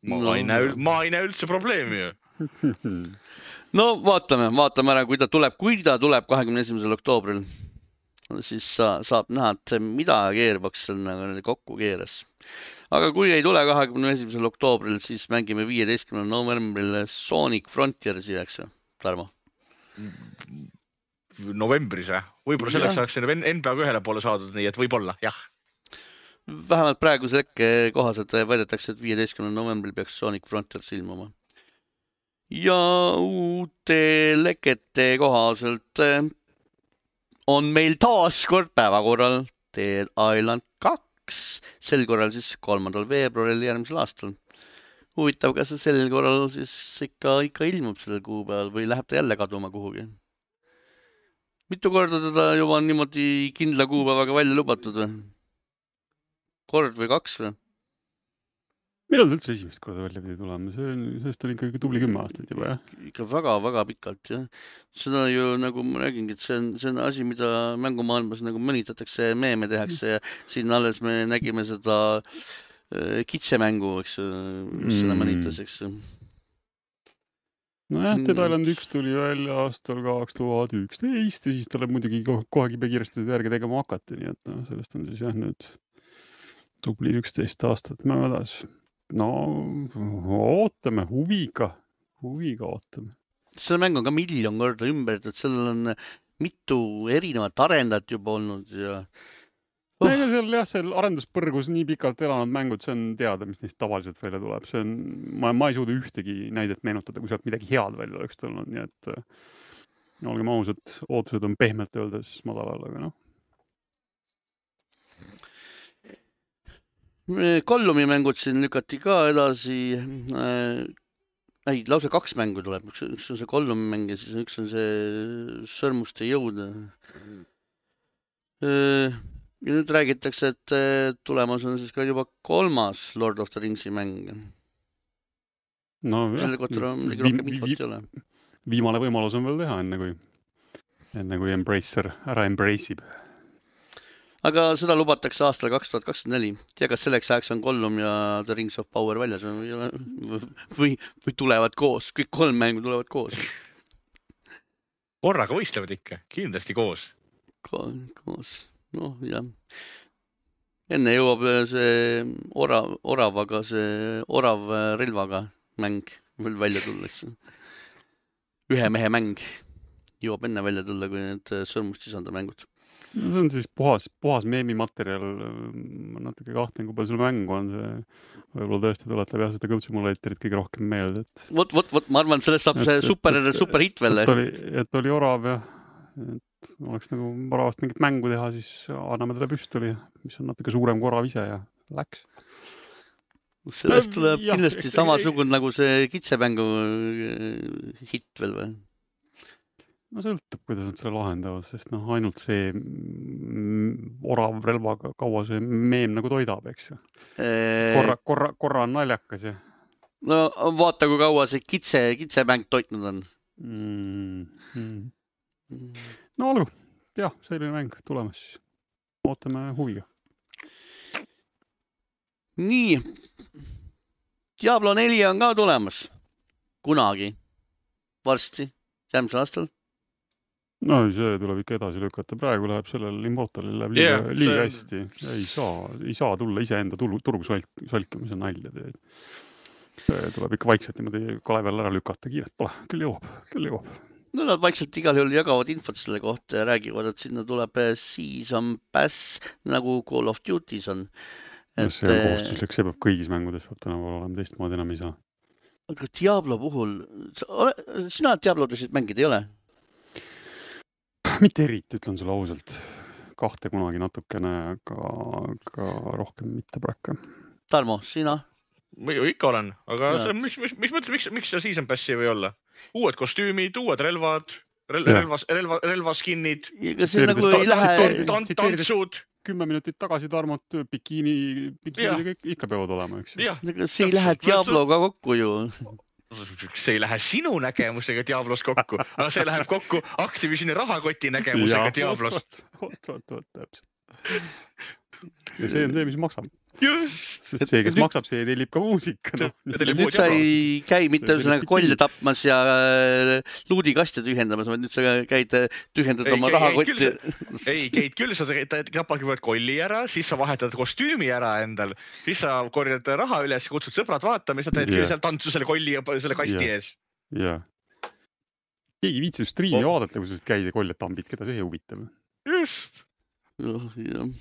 Ma ei näe üldse probleemi ju. No vaatame ära, kui ta tuleb 21. oktoobril, siis saab näha, et mida Gearbox kokku keeras. Aga kui ei tule 21. oktoobril, siis mängime 15. novembril Sonic Frontiersi, eks ju, Tarmo? Novembris, võib-olla selleks saaks NBA-ga ühele poole saadud, nii et võib-olla, jah. Vähemalt praeguse lekke kohaselt väidetakse, et 15. novembril peaks Sonic Frontiers ilmuma. Ja uute lekete kohaselt on meil taas kord päevakorral Dead Island 2, sel korral siis 3. veebruaril järgmisel aastal. Huvitav, kas see sel korral siis ikka ilmub sellel kuupäeval või läheb ta jälle kaduma kuhugi? Mitu korda teda juba on niimoodi kindla kuupäevaga välja lubatud või? Kord või 2 või? Millal ta üldse esimest korda välja pidi tulema? Sellest on ikkagi tubli 10 aastat juba, jah? Ikka väga pikalt, jah. Seda ju, nagu ma räägingi, et see on asi, mida mängumaailmas nagu mõnitatakse, meeme tehakse ja siin alles me nägime seda kitsemängu, eks seda mõnitas, eks. Nojah, Dead Island 1 tuli välja aastal 2011 ja siis tuleb muidugi kohe kiiresti seda järgi tegema hakati, nii et sellest on siis jah nüüd tubli 11 aastat möödas. No, ootame, huviga ootame. See mäng on ka miljon korda ümber, et sellel on mitu erinevat arendajat juba olnud ja... seal arenduspõrgus nii pikalt elanud mängud, see on teada, mis neist tavaliselt välja tuleb. See on, ma ei suuda ühtegi näidet meenutada, kui sealt midagi head välja oleks tulnud, nii et olgem ausad, ootused on pehmelt öeldes madalal, aga noh. Gollumi mängud siin lükati ka edasi. Lausa 2 mängu tuleb. Üks on see Gollumi mäng ja siis üks on see Sõrmuste jõud. Ja nüüd räägitakse, et tulemas on siis ka juba 3. Lord of the Ringsi mäng. No, selle kohta rohkem infot ei ole. Viimane võimalus on veel teha, enne kui Embracer ära embrace'ib. Aga seda lubatakse aastal 2024. Tea, kas selleks ajaks on Gollum ja The Rings of Power väljas või tulevad koos. Kõik 3 mängu tulevad koos. Korraga võistlevad ikka, kindlasti koos. Koos, noh jah. Enne jõuab see oravaga, see orav relvaga mäng veel välja tullakse. 1 mehe mäng jõuab enne välja tulla, kui need sõrmustisanda mängud. No, see on siis puhas meemimaterjal. Ma natuke kahtlen, kui palju sul mängu on see. Võib-olla tõesti tuletab jah seda kõltsimulaatorit kõige rohkem meelde. Vot, ma arvan, et sellest saab see super hit veel. Et oli orav ja et oleks nagu varavast mingit mängu teha, siis anname talle püstoli, mis on natuke suurem kui orav ise ja läks. Sellest tuleb kindlasti samasugune nagu see kitsemängu hit veel või? No sõltub, kuidas nad selle lahendavad, sest ainult see orav relvaga kaua see meem nagu toidab, eks ju. Korra on naljakas ja. No vaata, kui kaua see kitsemäng toitnud on. No olgu, jah, selline mäng tulemas siis. Ootame huviga. Nii, Diablo 4 on ka tulemas. Kunagi. Varsti, järgmisel aastal. No see tuleb ikka edasi lükata. Praegu läheb sellel Immortalil läheb liiga hästi. Ei saa tulla iseenda turgu solkima, see on nalja teed. Tuleb ikka vaikselt niimoodi Kalevel ära lükata, kiiret pole. Küll jõuab. No nad vaikselt igal juhul jagavad infot selle kohta ja räägivad, et sinna tuleb Season Pass nagu Call of Duty's on. See on kohustuslik, see peab kõigis mängudes peab tänapäeval olema, teistmoodi enam ei saa. Aga Diablo puhul, sina Diablodesid mängid ei ole? Mitte eriti, ütlen sulle ausalt. 2 kunagi natukene, aga rohkem mitte praegu. Tarmo, sina? Ma ikka olen, aga mis mõtled, miks see Season Passi või olla? Uued kostüümid, uued relvaskinnid. Ega see nagu ei lähe... Tantsud. 10 minutit tagasi Tarmot bikiini ikka peavad olema, eks. Ega see ei lähe Diabloga kokku ju. See ei lähe sinu nägemusega Diablos kokku, aga see läheb kokku Activisioni rahakoti nägemusega Diablost. Oot, täpselt. Ja see on see, mis maksab. Just. Sest see, kes maksab, see tellib ka muusika. Nüüd sa ei käi mitte kolle tapmas ja luudikaste tühjendamas, vaid nüüd sa käid tühjendad oma rahakotti. Ei, käid küll, sa tapagi võrd kolli ära, siis sa vahetad kostüümi ära endal, siis sa korjad raha üles, kutsud sõbrad vaatama ja sa teed küll seal tantsu selle kolli ja selle kasti ees. Jaa. Keegi viitsib striimi vaadata, kui sa käid ja kolle tambid, keda see huvitab. Just. Jah.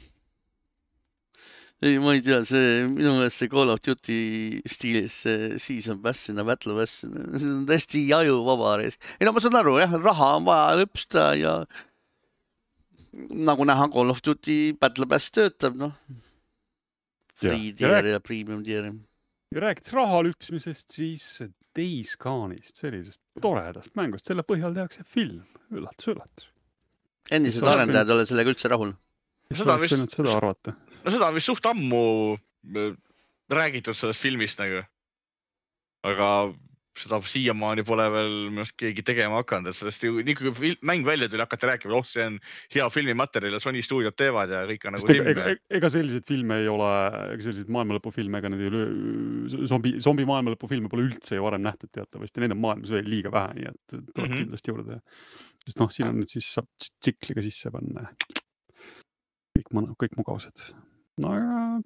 Ei, ma ei tea, minu meelest see Call of Duty stiilis Season Pass, Battle Pass, see on täiesti ajuvaba reis. Ei no ma saan aru, jah, raha on vaja lõpsta ja nagu näha Call of Duty Battle Pass töötab, noh. Free tier ja premium tier. Ja rääkides raha lüpsmisest, siis Days Gone'ist, sellisest toredast mängust, selle põhjal tehakse film, üllatus. Endised arendajad ole sellega üldse rahul. Seda arvata. No seda on vist suht ammu räägitud sellest filmist nagu. Aga seda siiamaani pole veel keegi tegema hakanud, et sellest nii kui mäng välja tuli hakata rääkima, see on hea filmimaterjal ja Sony stuudiod teevad ja kõik on nagu ega selliseid filme ei ole, selliseid maailmalõpufilme, ega zombi maailmalõpufilme pole üldse ju varem nähtud teatavasti, neid on maailmas veel liiga vähe, nii et tuleb kindlasti juurde. Sest siin on nüüd siis saab tsikliga sisse panna kõik mugavused. No ja,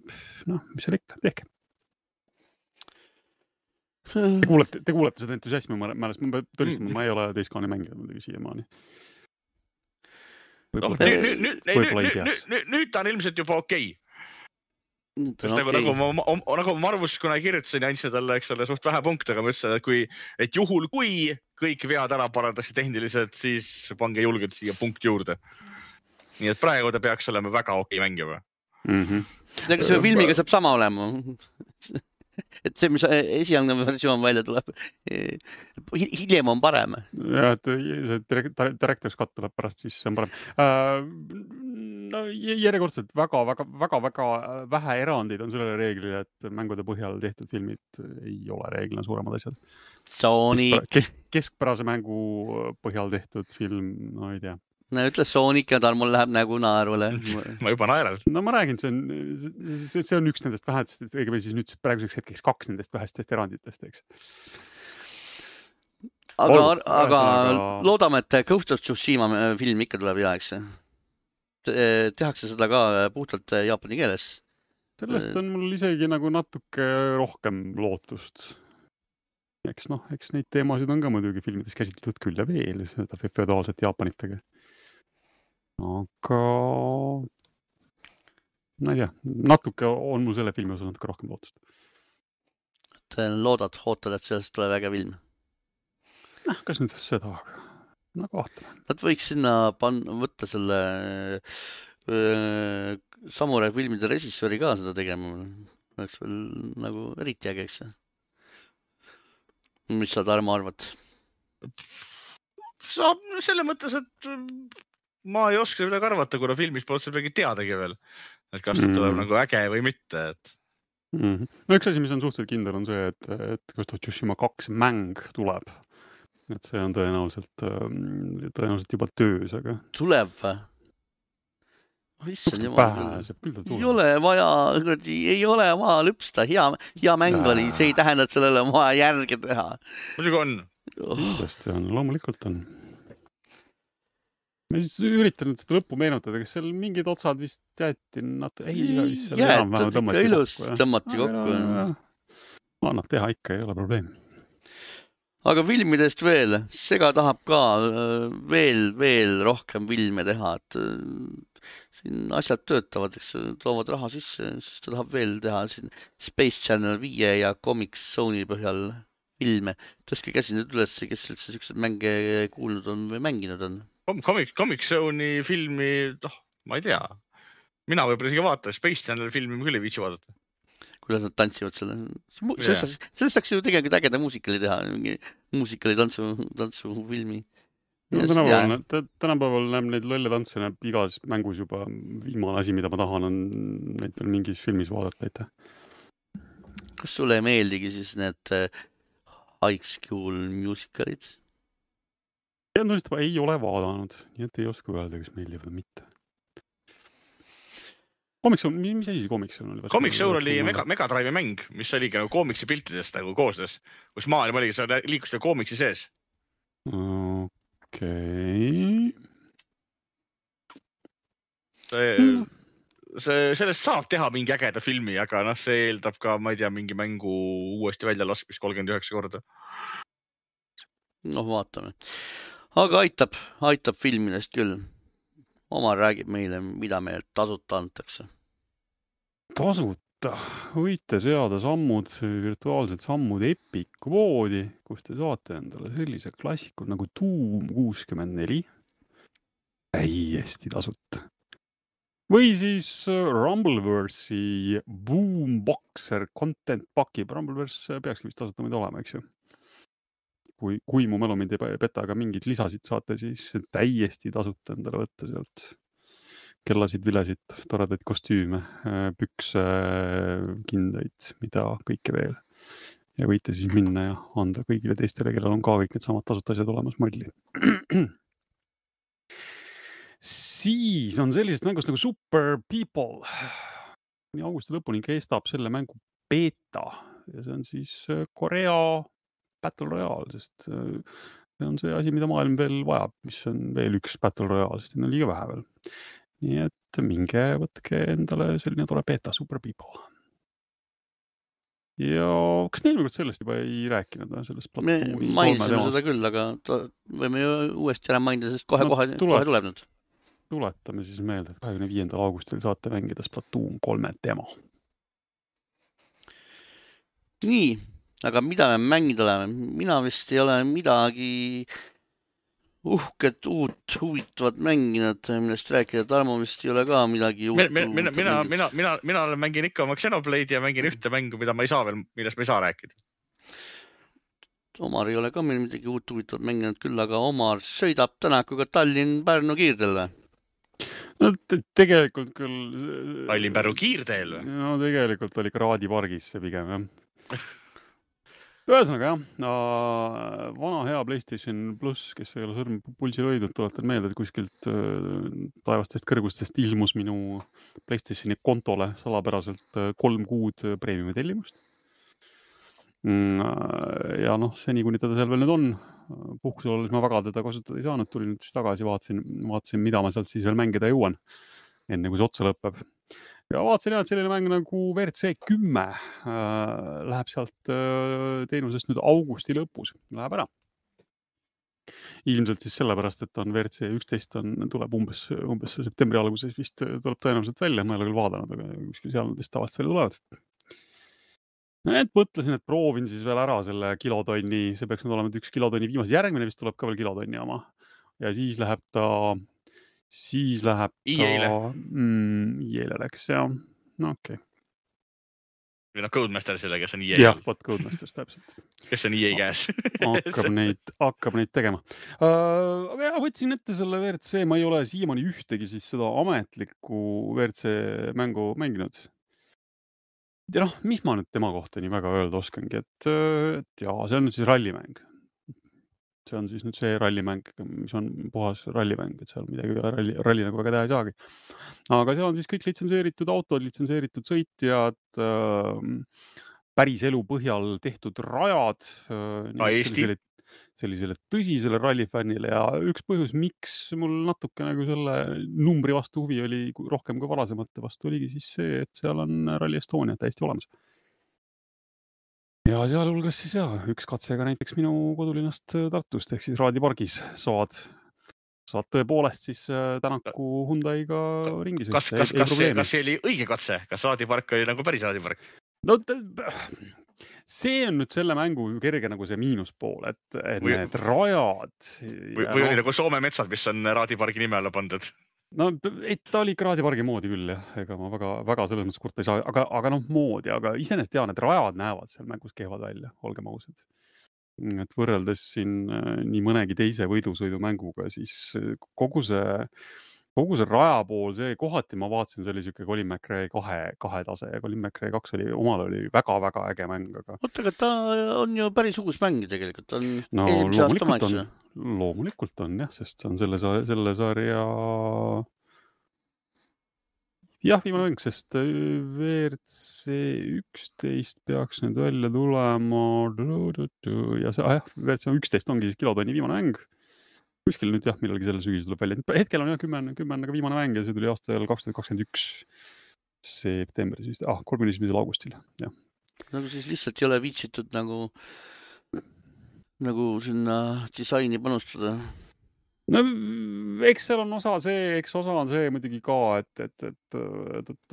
mis seal ikka, tehke. Te kuulete seda entusiasmi määrest, ma pean tõlistama, ma ei ole Days Gone'i mängida muidugi siiamaani. Nüüd ta on ilmselt juba okei. Nagu ma arvus, kuna kirjutasin ja andsin talle, eks ole, suht vähe punkte, aga ma ütlesin, et juhul kui kõik vead ära parandatakse tehniliselt, siis pange julgelt siia punkt juurde. Nii et praegu ta peaks olema väga okei mängima. Ega see filmiga saab sama olema. Et see, mis esialgne versioon välja tuleb, hiljem on parem. Ja, et Director's Cut tuleb pärast, siis see on parem. No järjekordselt väga vähe erandeid on sellele reeglile, et mängude põhjal tehtud filmid ei ole reeglina suuremad asjad. Keskpärase mängu põhjal tehtud film, no ei tea. No ütle Sonic ja Tarmol läheb nägu naerule. Ma juba naeran. No ma räägin, see on üks nendest vähestest, õigemini siis nüüd praeguseks hetkeks 2 nendest vähestest eranditest, eks. Aga loodame, et Ghost of Tsushima film ikka tuleb hea, eks. Tehakse seda ka puhtalt jaapani keeles. Sellest on mul isegi nagu natuke rohkem lootust. Eks neid teemasid on ka muidugi filmides käsitletud küll ja veel, seda feodaalset Jaapanitega. Aga ma ei tea, natuke on mul selle filmi osas natuke rohkem lootust. Ootad, et sellest tuleb äge film? Kas nüüd seda, aga nagu vaatame. Nad võiks sinna võtta selle Samurai filmide režissööri ka seda tegema. Oleks veel nagu eriti äge, eks. Mis sa, Tarmo, arvad? Saab selle mõttes, et ma ei oska midagi arvata, kuna filmis pole seda midagi teadagi veel. Et kas see tuleb nagu äge või mitte. No üks asi, mis on suhteliselt kindel, on see, et Ghost of Tsushima 2 mäng tuleb. Et see on tõenäoliselt juba töös, aga... Tuleb või? Ei ole vaja lüpsta, hea mäng oli, see ei tähenda, et sellele on vaja järge teha. Muidugi on. Tõesti on, loomulikult on. ma siis üritan nüüd seda lõppu meenutada, kas seal mingid otsad vist jäeti, jäetad ikka ilusti, tõmmati kokku. Annab teha ikka, ei ole probleem. Aga filmidest veel, Sega tahab ka veel rohkem filme teha, et siin asjad töötavad, eks toovad raha sisse, siis ta tahab veel teha siin Space Channel 5 ja Comic Zone'i põhjal filme. Tõstke käsi nüüd üles, kes üldse sellised mänge kuulnud on või mänginud on? Comic Zone'i filmi, ma ei tea. Mina võib-olla isegi vaatan, Space Channel filmi ma küll ei viitsi vaadata. Kuidas nad tantsivad selle. Sellest saaks ju tegelikult ägeda muusikali teha, muusikali tantsufilmi. No, tänapäeval näeb neid lolle tantse näeb igas mängus juba viimane asi, mida ma tahan, on neid veel mingis filmis vaadata, aitäh. Kas sulle ei meeldigi siis need High School musicalid? Ei ole vaadanud, nii et ei oska öelda, kas meeldivad või mitte. Comic Zone, mis asi Comic Zone oli? Comic Zone oli Mega Drive'i mäng, mis oligi nagu koomiksi piltidest nagu koosnes, kus maailm oligi, sa liikusid koomiksi sees. Okei. Sellest saab teha mingi ägeda filmi, aga see eeldab ka, ma ei tea, mingi mängu uuesti välja laskmist 39 korda. Vaatame. Aga aitab filmidest küll. Omar räägib meile, mida meil tasuta antakse. Tasuta võite seada virtuaalsed sammud Epic koodi, kus te saate endale sellise klassikud nagu Doom 64 täiesti tasuta. Või siis Rumbleverse'i Boomboxer content pakib. Rumbleverse peakski vist tasuta meid olema, eks ju. Kui mu mälu mind ei peta, aga mingid lisasid saate, siis täiesti tasuta endale võtta sealt kellasid, vilesid, toredaid kostüüme, pükse, kindaid, mida kõike veel. Ja võite siis minna ja anda kõigile teistele, kellel on ka kõik need samad tasuta asjad olemas molli. Siis on sellisest mängust nagu Super People. Augusti lõpuni kestab selle mängu beta ja see on siis Korea Battle Royale, sest see on see asi, mida maailm veel vajab, mis on veel üks Battle Royale, sest on liiga vähe veel. Nii et minge võtke endale selline tore beta Super People. Ja kas me eelmine kord sellest juba ei rääkinud? Me mainisime seda küll, aga võime ju uuesti ära mainida, sest kohe tuleb nüüd. Tuletame siis meelde, et 25. augustil saate mängida Splatoon 3 demo. Nii, aga mida me mängida oleme? Mina vist ei ole midagi uhket, uut, huvitavat mänginud, millest rääkida. Tarmo vist ei ole ka midagi uut. Mina mängin ikka oma Xenoblade'i ja mängin ühte mängu, mida ma ei saa veel, millest ma ei saa rääkida. Omar ei ole ka meil midagi uut huvitavat mänginud küll, aga Omar sõidab tänakuga Tallinn-Pärnu kiirteel või? No tegelikult küll... Tallinn-Pärnu kiirteel või? No tegelikult oli Kraadi pargis see pigem, jah. Ühesõnaga jah, vana hea PlayStation Plus, kes ei ole sõrm pulsil hoidnud, tuletan meelde, et kuskilt taevastest kõrgustest ilmus minu PlayStationi kontole salapäraselt 3 kuud preemiumi tellimust. Ja seni kuni teda seal veel nüüd on, puhkusel olles ma väga teda kasutada ei saanud, tulin nüüd siis tagasi, vaatasin, mida ma sealt siis veel mängida jõuan, enne kui see otsa lõpeb. Ja vaatasin jah, et selline mäng nagu WRC 10 läheb sealt teenusest nüüd augusti lõpus, läheb ära. Ilmselt siis sellepärast, et on WRC 11 tuleb umbes septembri alguses vist tuleb tõenäoliselt välja, ma ei ole küll vaadanud, aga kuskil seal nad vist tavaliselt välja tulevad. Et mõtlesin, et proovin siis veel ära selle kilotonni, see peaks nüüd olema 1 kilotonni viimase, järgmine vist tuleb ka veel kilotonni oma. Ja siis läheb ta EA-le läks, jah. No okei. Või Codemaster selle, kes on EA. Jah, võt Codemaster, täpselt. Kes on EA käes. Hakkab neid tegema. Aga jah, võtsin ette selle WRC, ma ei ole siiamaani ühtegi siis seda ametlikku WRC mängu mänginud. Ja mis ma nüüd tema kohta nii väga öelda oskangi, et jaa, see on nüüd siis rallimäng. See on siis nüüd see rallimäng, mis on puhas rallimäng, et seal midagi ralli nagu väga teha ei saagi. Aga seal on siis kõik litsenseeritud autod, litsenseeritud sõitjad, päris elu põhjal tehtud rajad. Eesti? sellisele tõsisele rallifännile ja üks põhjus, miks mul natuke nagu selle numbri vastu huvi oli rohkem kui varasemate vastu, oligi siis see, et seal on Rally Estonia täiesti olemas. Ja sealhulgas siis üks katsega näiteks minu kodulinnast Tartust ehk siis Raadi pargis saad tõepoolest siis Tänaku Hyundai'ga ringi sõita. Kas see oli õige katse? Kas Raadi park oli nagu päris Raadi park? No see on nüüd selle mängu kerge nagu see miinuspool, et need rajad. Või oli nagu Soome metsad, mis on Raadi pargi nime alla pandud? No, et ta oli Raadi pargi moodi küll, jah. Ega ma väga selles mõttes kurta ei saa, aga noh, moodi, aga iseenesest need rajad näevad seal mängus kehvad välja, olgem ausad. Et võrreldes siin nii mõnegi teise võidusõidumänguga, siis kogu see raja pool, see kohati ma vaatasin, see oli siuke Colin McRae 2 tase ja Colin McRae 2 omal oli väga-väga äge mäng, aga. Oota, aga ta on ju päris uus mäng tegelikult, on no, eelmise aasta maitse. Loomulikult on jah, sest see on selle sarja jah, viimane mäng, sest WRC 11 peaks nüüd välja tulema ja see, WRC 11 ongi siis kilotonni viimane mäng. Kuskil nüüd jah, millalgi selle sügis tuleb välja. Hetkel on jah 10 viimane mäng ja see tuli aastal 2021 septembris, 31. augustil. Jah. Nagu siis lihtsalt ei ole viitsitud nagu sinna disaini panustada. No eks seal on osa on see muidugi ka, et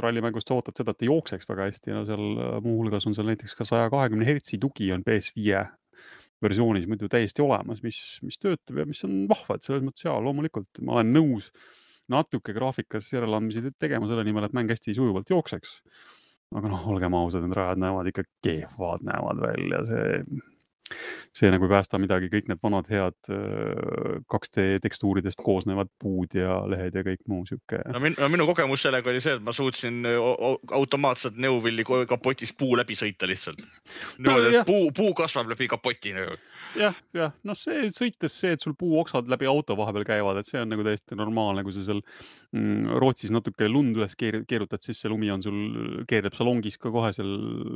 rallimängust sa ootad seda, et ta jookseks väga hästi ja seal muuhulgas on seal näiteks ka 120 Hz tugi on PS5 versioonis muidu täiesti olemas, mis töötab ja mis on vahva, et selles mõttes loomulikult ma olen nõus natuke graafikas järeleandmisi tegema selle nimel, et mäng hästi sujuvalt jookseks. Aga noh, olgem ausad, need rajad näevad ikka kehvad näevad välja, see nagu ei päästa midagi, kõik need vanad head 2D tekstuuridest koosnevad puud ja lehed ja kõik muu siuke. No minu kogemus sellega oli see, et ma suutsin automaatselt Neuvilli kapotis puu läbi sõita lihtsalt. Puu kasvab läbi kapoti. Jah, noh see sõites see, et sul puuoksad läbi auto vahepeal käivad, et see on nagu täiesti normaalne, kui sa seal Rootsis natuke lund üles keerutad, siis see lumi on sul, keerleb salongis ka kohe seal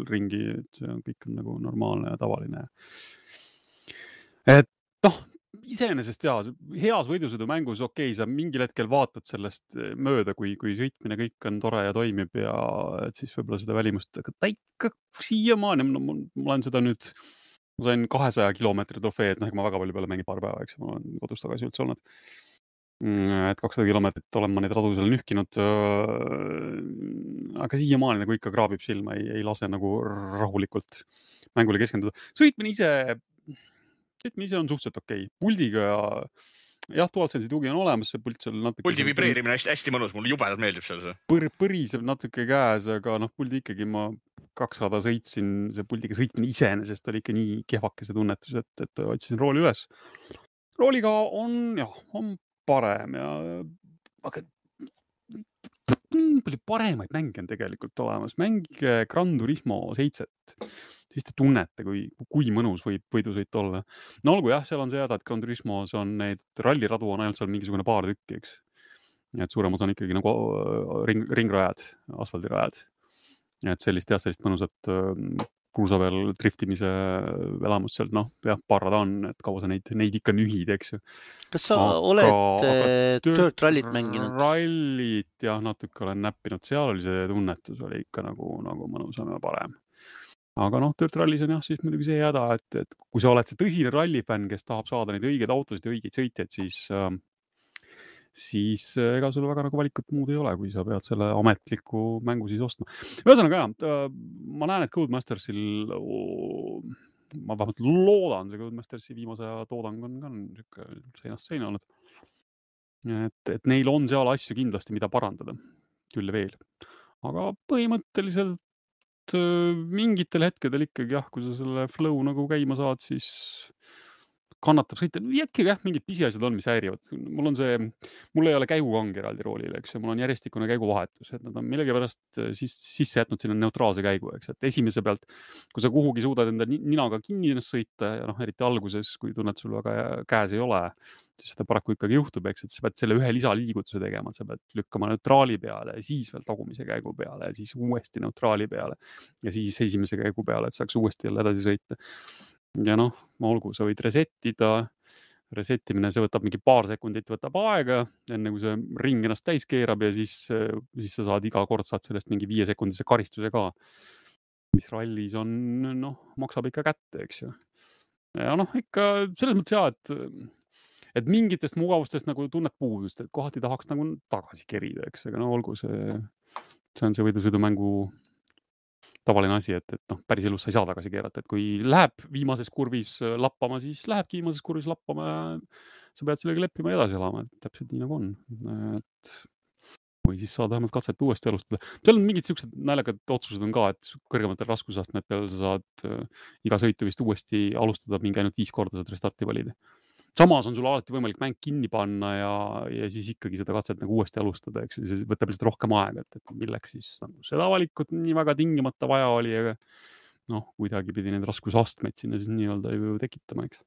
ringi, et see on kõik on nagu normaalne ja tavaline. Et noh, iseenesest heas võidusõidumängus sa mingil hetkel vaatad sellest mööda, kui sõitmine kõik on tore ja toimib ja et siis võib-olla seda välimust, aga ta ikka siiamaani, ma olen seda nüüd, ma sain 200 kilomeetri trofee, et ma väga palju peale mängin paar päeva, eks ma olen kodus tagasi üldse olnud. Et 200 kilomeetrit olen ma neid radu seal nühkinud, aga siiamaani nagu ikka kraabib silma, ei lase nagu rahulikult mängule keskenduda. Sõitmine ise on suhteliselt okei. Puldiga ja DualSense'i tugi on olemas, see pult seal natuke. Puldi vibreerimine hästi mõnus, mulle jubedalt meeldib seal see. Põriseb natuke käes, aga puldi ikkagi ma 2 rada sõitsin, see puldiga sõitmine iseenesest oli ikka nii kehvake see tunnetus, et otsisin rooli üles. Rooliga on parem ja aga nii palju paremaid mänge on tegelikult olemas. Mängige Gran Turismo 7. Siis te tunnete, kui mõnus võib võidusõit olla. No olgu seal on see et Gran Turismos on neid ralliradu on ainult seal mingisugune paar tükki, eks. Et suurem osa on ikkagi nagu ringrajad, asfaldirajad. Et sellist mõnusat kruusa peal driftimise elamust sealt, paar rada on, et kaua sa neid ikka nühid, eks ju. Kas sa oled Dirt Rallit mänginud? Rallit natuke olen näppinud, seal oli see tunnetus oli ikka nagu mõnusam ja parem. Aga Dirt Rallis on siis muidugi see häda, et kui sa oled see tõsine rallifänn, kes tahab saada neid õigeid autosid ja õigeid sõitjaid, siis ega sul väga nagu valikut muud ei ole, kui sa pead selle ametliku mängu siis ostma. Ühesõnaga ma näen, et Codemastersil, ma vähemalt loodan, see Codemastersi viimase aja toodang on ka seinast seina olnud. Et neil on seal asju kindlasti, mida parandada, küll veel. Aga põhimõtteliselt mingitel hetkedel ikkagi kui sa selle flow nagu käima saad, siis kannatab sõita. Äkki mingid pisiasjad on, mis häirivad. Mul ei ole käigukangi eraldi roolile, eks. Mul on järjestikune käiguvahetus, et nad on millegipärast sisse jätnud sinna neutraalse käigu, eks. Et esimese pealt, kui sa kuhugi suudad enda ninaga kinni ennast sõita ja eriti alguses, kui tunned sul väga käes ei ole, siis seda paraku ikkagi juhtub, eks. Et sa pead selle ühe lisaliigutuse tegema, sa pead lükkama neutraali peale ja siis veel tagumise käigu peale ja siis uuesti neutraali peale ja siis esimese käigu peale, et saaks uuesti jälle edasi sõita. ja noh, olgu, sa võid resettimine, see võtab mingi paar sekundit, võtab aega, enne kui see ring ennast täis keerab ja siis sa saad iga kord saad sellest mingi 5-sekundise karistuse ka, mis rallis on, noh, maksab ikka kätte, eks ju. Ja noh, ikka selles mõttes jah, et mingitest mugavustest nagu tunned puudust, et kohati tahaks nagu tagasi kerida, eks, aga no olgu, see on see võidusõidumängu tavaline asi, et noh, päris elus sa ei saa tagasi keerata, et kui läheb viimases kurvis lappama, siis lähebki viimases kurvis lappama ja sa pead sellega leppima ja edasi elama, et täpselt nii nagu on. Et või siis saad vähemalt katset uuesti alustada. Seal on mingid siuksed naljakad otsused on ka, et kõrgematel raskusastmetel sa saad iga sõitu vist uuesti alustada, mingi ainult 5 korda saad restarti valida. Samas on sul alati võimalik mäng kinni panna ja siis ikkagi seda katset nagu uuesti alustada, eks ju, see võtab lihtsalt rohkem aega, et milleks siis nagu seda valikut nii väga tingimata vaja oli, aga noh, kuidagi pidi need raskusastmeid sinna siis nii-öelda ju tekitama, eks.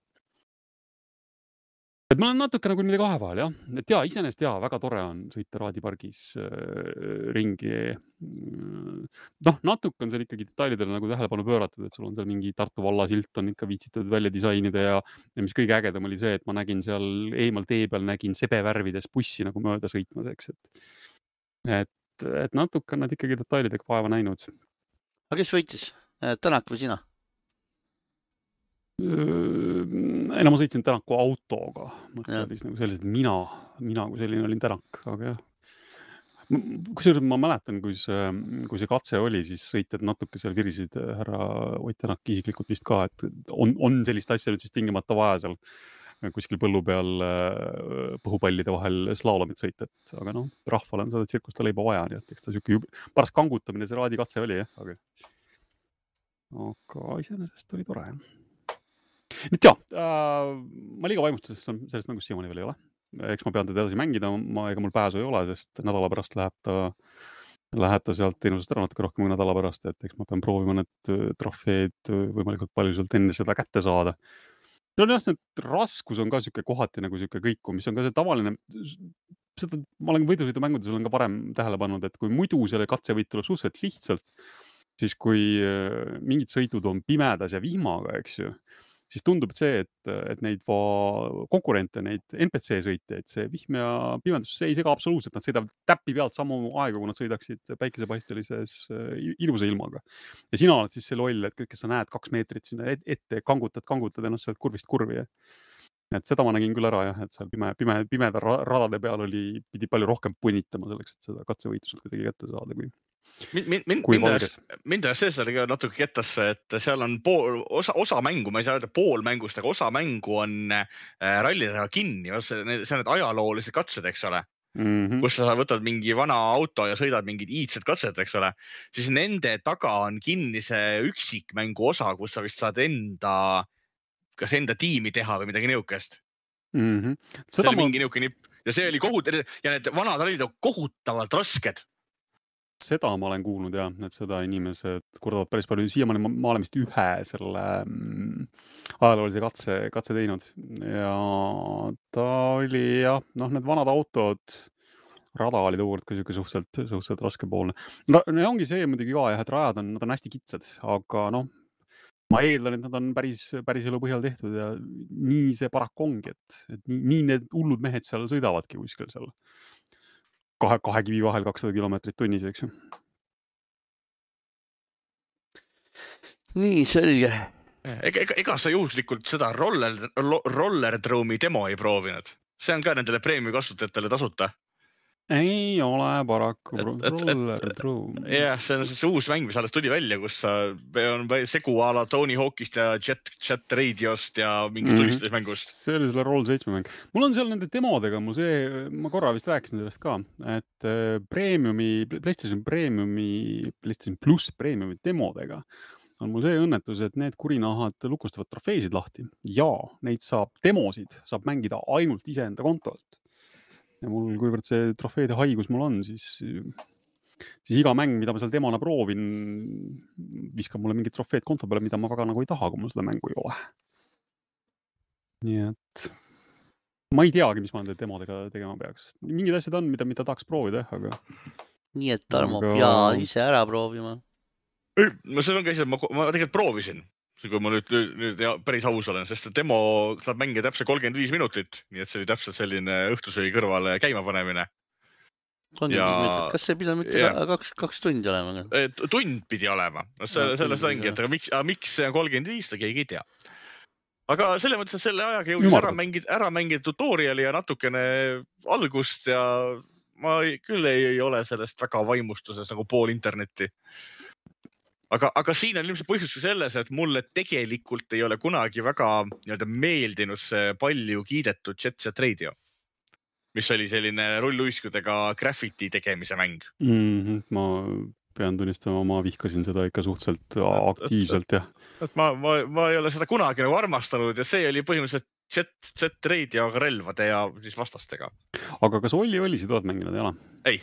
Et ma olen natuke nagu niimoodi kahe vahel, jah. Et jaa, iseenesest jaa, väga tore on sõita raadipargis ringi. Noh, natuke on seal ikkagi detailidele nagu tähelepanu pööratud, et sul on seal mingi Tartu valla silt on ikka viitsitud välja disainida ja mis kõige ägedam oli see, et ma nägin seal eemal tee peal nägin sebevärvides bussi nagu mööda sõitmas, eks. Et natuke on nad ikkagi detailidega vaeva näinud. Aga kes võitis? Tänak või sina? Ei, no ma sõitsin Tänaku autoga. Mõtledis nagu sellised, mina kui selline olin Tänak, aga jah. Kusjuures ma mäletan, kui see katse oli, siis sõitjad natuke seal virisid härra Ott Tänak isiklikult vist ka, et on sellist asja nüüd siis tingimata vaja seal kuskil põllu peal põhupallide vahel slaalomit sõita, aga noh, rahval on seda tsirkusta leiba vaja, nii et eks ta siuke paras kangutamine see raadikatse oli, jah, aga iseenesest oli tore, jah. Nüüd jah, ma liiga vaimustusest sellest mängust siiamaani veel ei ole. Eks ma pean teda edasi mängida, ega mul pääsu ei ole, sest nädala pärast läheb ta sealt teenusest ära natuke rohkem kui nädala pärast, et eks ma pean proovima need trofeed võimalikult palju sealt enne seda kätte saada. No jah, see raskus on ka siuke kohati nagu siuke kõiku, mis on ka see tavaline, seda ma olen võidusõidumängudes olen ka varem tähele pannud, et kui muidu selle katsevõit tuleb suhteliselt lihtsalt, siis kui mingid sõidud on pimedas ja vihmaga, eks ju, siis tundub see, et neid konkurente, neid NPC sõitjaid, see vihm ja pimendus, see ei sega absoluutselt, nad sõidavad täppi pealt samu aega, kui nad sõidaksid päikesepaistelises ilusa ilmaga. Ja sina oled siis see loll, et kõik, kes sa näed 2 meetrit sinna ette, kangutad ennast sealt kurvist kurvi. Et seda ma nägin küll ära, jah, et seal pimeda radade peal pidi palju rohkem punitama selleks, et seda katsevõitused kuidagi kätte saada, Mind see sellega natuke kettasse, et seal on osa mängu, ma ei saa öelda pool mängust, aga osa mängu on rallidega kinni, see on need ajaloolised katsed, eks ole, kus sa võtad mingi vana auto ja sõidad mingid iidsed katsed, eks ole, siis nende taga on kinni see üksikmängu osa, kus sa vist saad kas enda tiimi teha või midagi niukest. See oli mingi niuke nipp ja see oli ja need vanad rallid on kohutavalt rasked. Seda ma olen kuulnud jah, et seda inimesed kurdavad päris palju. Siiamaani ma olen vist ühe selle ajaloolise katse teinud ja ta oli jah, noh, need vanad autod, rada oli tookord ka siuke suhteliselt raskepoolne. No ongi see muidugi ka jah, et rajad nad on hästi kitsad, aga noh, ma eeldan, et nad on päris elu põhjal tehtud ja nii see paraku ongi, et nii need hullud mehed seal sõidavadki kuskil seal kahe kivi vahel 200 kilomeetrit tunnis, eks ju. Nii, selge. Ega sa juhuslikult seda Rollerdrome'i demo ei proovinud? See on ka nendele preemia kasutajatele tasuta. Ei ole paraku Rollerdrome. Jah, see on see uus mäng, mis alles tuli välja, kus on segu a la Tony Hawkist ja Jet Radiost ja mingi tulistusmängust. See oli selle Roll 7 mäng. Mul on seal nende demodega, ma korra vist rääkisin sellest ka, et PlayStation Plus Premiumi demodega on mul see õnnetus, et need kurinahad lukustavad trofeesid lahti ja neid demosid saab mängida ainult iseenda kontolt. Ja mul, kuivõrd see trofeede haigus mul on, siis iga mäng, mida ma seal demona proovin, viskab mulle mingid trofeed konto peale, mida ma väga nagu ei taha, kui mul seda mängu ei ole. Nii et ma ei teagi, mis ma nende demodega tegema peaks. Mingid asjad on, mida tahaks proovida, aga... Nii et Tarmo pea ise ära proovima. No see on ka ise, ma tegelikult proovisin. kui ma nüüd päris aus olen, sest demo saab mängida täpselt 35 minutit, nii et see oli täpselt selline õhtusöögi kõrvale käimapanemine. 35 minutit, kas see pidanud mitte kaks tundi olema? Tund pidi olema, sellest ongi, et aga miks see on 35, seda keegi ei tea. Aga selle mõttes, et selle ajaga jõudis ära mängida tutoriali ja natukene algust ja ma küll ei ole sellest väga vaimustuses nagu pool internetti. Aga siin on ilmselt põhjus selles, et mulle tegelikult ei ole kunagi väga meeldinud see palju kiidetud Jet Set Radio, mis oli selline rulluiskudega graffiti tegemise mäng. Ma pean tunnistama, ma vihkasin seda ikka suhteliselt aktiivselt, jah. Ma ei ole seda kunagi nagu armastanud ja see oli põhimõtteliselt Jet Set Radio relvade ja siis vastastega. Aga kas Olli sa oled mänginud, ei ole? Ei.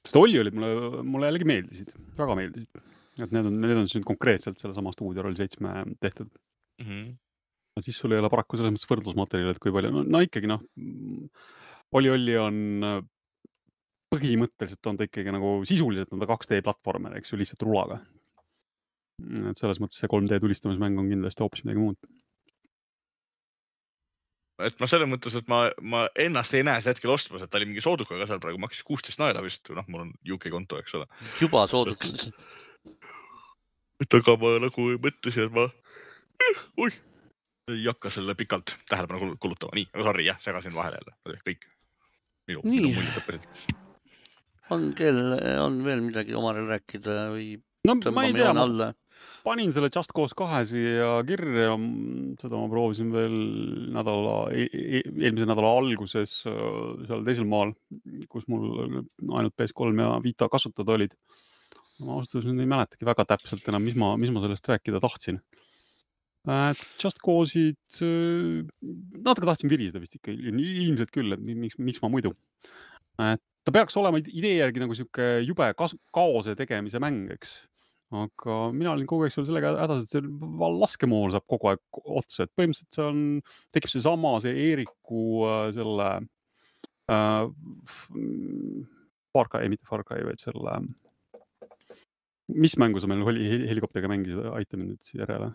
Sest Olli olid mulle jällegi meeldisid, väga meeldisid. Et need on nüüd konkreetselt selle sama Studio Roll 7 tehtud. Siis sul ei ole paraku selles mõttes võrdlusmaterjal, et kui palju. No ikkagi Olli on põhimõtteliselt on ta ikkagi nagu sisuliselt on ta 2D platvormer, eks ju, lihtsalt rulaga. Et selles mõttes see 3D tulistamismäng on kindlasti hoopis midagi muud. Et ma selles mõttes, et ma ennast ei näe see hetkel ostmas, et ta oli mingi soodukaga seal praegu maksis 16 naela vist. Mul on UK konto, eks ole. Juba soodukas. Aga ma nagu mõtlesin, et ma ei hakka selle pikalt tähelepanu kulutama. Nii, aga sorry, jah, segasin vahele jälle. Kõik. Minu muljetõpperid. On veel midagi omarel rääkida või ma ei tea, panin selle Just Cause 2 siia kirja, seda ma proovisin veel eelmise nädala alguses seal teisel maal, kus mul ainult PS3 ja Vita kasutada olid. Ma austuseks ei mäletagi väga täpselt enam, mis ma sellest rääkida tahtsin. Just Cause'id, natuke tahtsin viriseda vist ikka, ilmselt küll, et miks ma muidu. Ta peaks olema idee järgi nagu siuke jube kaose tegemise mäng, eks. Aga mina olin kogu aeg sellega hädas, et see laskemool saab kogu aeg otsa. Et põhimõtteliselt tekib see sama, see Eeriku selle Far Cry, vaid selle mis mängu sa meil helikopteriga mängisid, aita mind nüüd järele.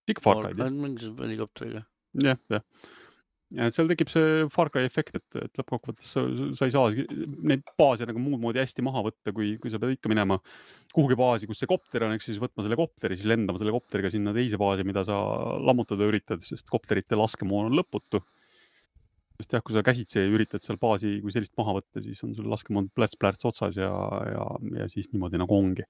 Ikka Far Cry. Mängisid helikopteriga. Jah. Ja seal tekib see Far Cry efekt, et lõppkokkuvõttes sa ei saa neid baase nagu muud moodi hästi maha võtta, kui sa pead ikka minema kuhugi baasi, kus see kopter on, eks siis võtma selle kopteri, siis lendama selle kopteriga sinna teise baasi, mida sa lammutada üritad, sest kopterite laskemoon on lõputu. Sest jah, kui sa käsitsi üritad seal baasi, kui sellist maha võtta, siis on sul laskemoon plärts otsas ja siis niimoodi nagu ongi.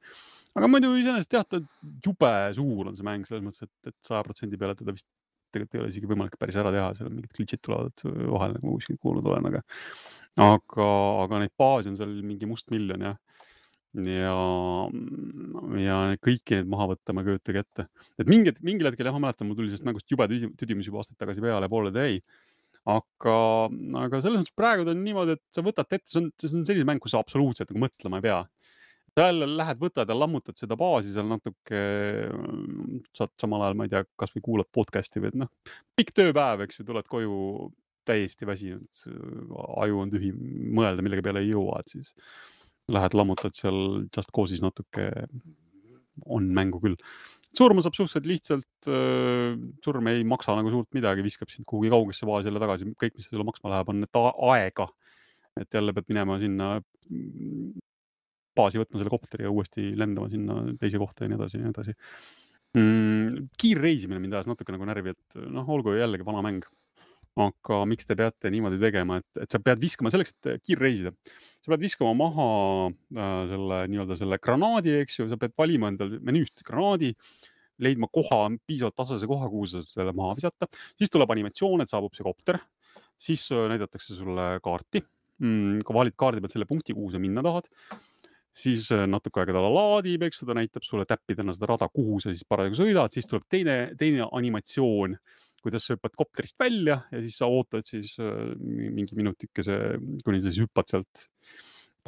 Aga muidu iseenesest tead, jube suur on see mäng selles mõttes, et 100% peale teda vist tegelikult ei ole isegi võimalik päris ära teha, seal on mingid glitchid tulevad vahel, nagu kuskilt kuulnud olen, aga neid baasi on seal mingi must miljon ja kõiki neid maha võtta ma köötage ette. Et mingil hetkel ma mäletan, mul tuli sellest mängust jube tüdimus juba aastaid tagasi peale poole täi. Aga selles mõttes praegu ta on niimoodi, et sa võtad ette, see on selline mäng, kus sa absoluutselt nagu mõtlema ei pea. Sa jälle lähed, võtad ja lammutad seda baasi seal natuke, saad samal ajal, ma ei tea, kas või kuulad podcasti või pikk tööpäev, eks ju, tuled koju täiesti väsinud, aju on tühi, mõelda millega peale ei jõua, et siis lähed lammutad seal Just Cause'is natuke, on mängu küll. Surma saab suhteliselt lihtsalt, surm ei maksa nagu suurt midagi, viskab sind kuhugi kaugesse baasi jälle tagasi, kõik, mis sulle maksma läheb, on need aega, et jälle pead minema sinna baasi võtma selle kopteri ja uuesti lendama sinna teise kohta ja nii edasi. Kiirreisimine mind ajas natuke nagu närvi, et olgu jällegi vana mäng. Aga miks te peate niimoodi tegema, et sa pead viskama selleks, et kiirreisida. Sa pead viskama maha selle granaadi, eks ju, sa pead valima endal menüüst granaadi, leidma koha, piisavalt tasase koha, kuhu sa selle maha visata. Siis tuleb animatsioon, et saabub see kopter. Siis näidatakse sulle kaarti. Kui valid kaardi pealt selle punkti, kuhu sa minna tahad. Siis natuke aega ta laadib, eks ta näitab sulle täppidena seda rada, kuhu sa siis parasjagu sõidad, siis tuleb teine animatsioon, kuidas sa hüppad kopterist välja ja siis sa ootad siis mingi minutikese, kuni sa siis hüppad sealt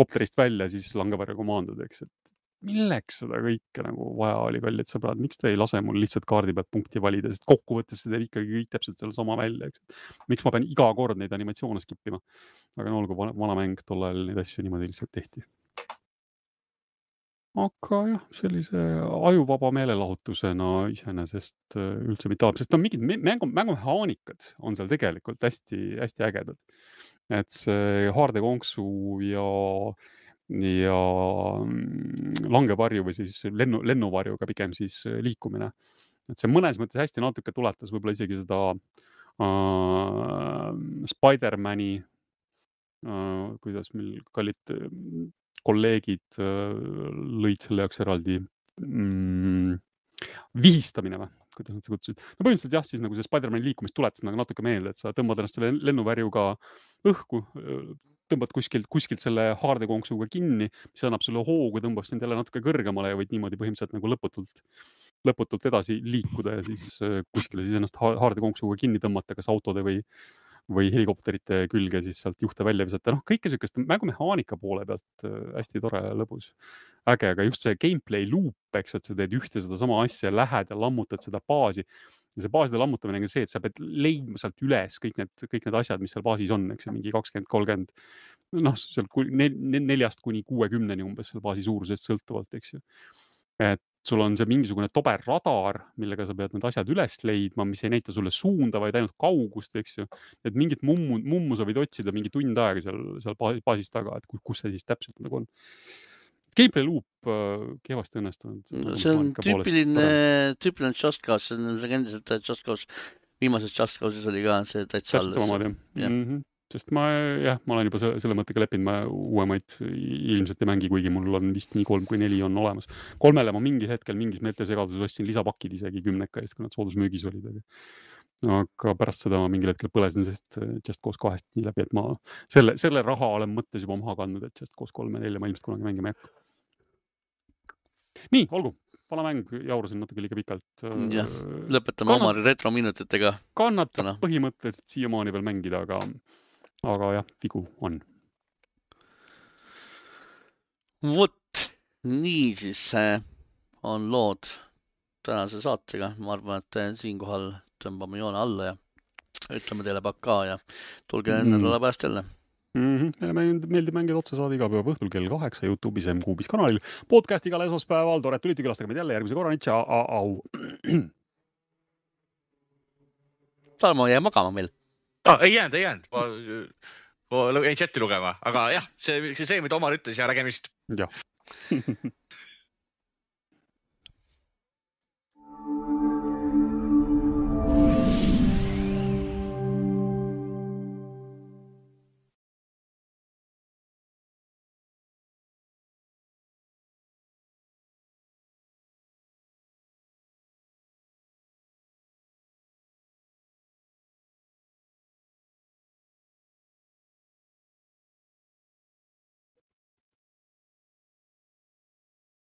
kopterist välja, siis langevarja komandod, eks, et milleks seda kõike nagu vaja oli kallid sõbrad, miks te ei lase mul lihtsalt kaardi pealt punkti valida, sest kokkuvõttes see teeb ikkagi kõik täpselt selle sama välja, eks. Miks ma pean iga kord neid animatsioone skippima, aga olgu vana mäng, tollal neid asju niimoodi lihtsalt tehti. aga jah, sellise ajuvaba meelelahutusena iseenesest üldse mitte halb, sest no mingid mängumehaanikad on seal tegelikult hästi ägedad. Et see haardekonksu ja langevarju või siis lennuvarjuga pigem siis liikumine. Et see mõnes mõttes hästi natuke tuletas võib-olla isegi seda Spider-Mani, kuidas meil kallid kolleegid lõid selle jaoks eraldi vihistamine või, kuidas nad see kutsusid. No põhimõtteliselt jah, siis nagu see Spider-Mani liikumist tuletas nagu natuke meelde, et sa tõmbad ennast selle lennuvärjuga õhku, tõmbad kuskilt selle haardekonksuga kinni, mis annab sulle hoogu, tõmbab sind jälle natuke kõrgemale ja võid niimoodi põhimõtteliselt nagu lõputult edasi liikuda ja siis kuskile siis ennast haardekonksuga kinni tõmmata, kas autode või helikopterite külge siis sealt juhte välja visata. Noh, kõike sellist mängumehaanika poole pealt hästi tore ja lõbus. Äge, aga just see gameplay loop, eks, et sa teed ühte seda sama asja, lähed ja lammutad seda baasi. Ja see baaside lammutamine on see, et sa pead leidma sealt üles kõik need asjad, mis seal baasis on, eks ju, mingi 20-30, noh, seal 4-60 umbes seal baasi suurusest sõltuvalt, eks ju. Et sul on see mingisugune tober radar, millega sa pead need asjad üles leidma, mis ei näita sulle suunda, vaid ainult kaugust, eks ju. Et mingit mummu sa võid otsida mingi tund aega seal baasis taga, et kus see siis täpselt nagu on. Gameplay loop kehvasti õnnestunud. See on tüüpiline Just Cause, see on endiselt Just Cause. Viimases Just Cause'is oli ka see täitsa alles. Sest ma olen juba selle mõttega leppinud, ma uuemaid ilmselt ei mängi, kuigi mul on vist nii 3 kui 4 on olemas. 3-le ma mingil hetkel mingis meeltesegaduses ostsin lisapakid isegi 10 eest, kui nad soodusmüügis olid. Aga pärast seda ma mingil hetkel põlesin, sest Just Cause 2 nii läbi, et ma selle raha olen mõttes juba maha kandnud, et Just Cause 3 ja 4 ma ilmselt kunagi mängima ei hakka. Nii, olgu. Vana mäng, jaurasin natuke liiga pikalt. Lõpetame oma retrominutitega. Kannatab põhimõtteliselt siiamaani veel mängida, aga jah, vigu on. Vot, nii siis on lood tänase saatega. Ma arvan, et siinkohal tõmbame joone alla ja ütleme teile pakka ja tulge nädala pärast jälle. Meile meeldib mängida otsa saada iga päeva õhtul kell 8 YouTube'is M-Kuubis kanalil. Podcast igal esmaspäeval, tore, tulite külastage meid jälle järgmise korrani. Tšau. Tarmo jäi magama meil. Ei jäänud. Ma jäin chati lugema, aga jah, see mida Omar ütles ja nägemist. Jah.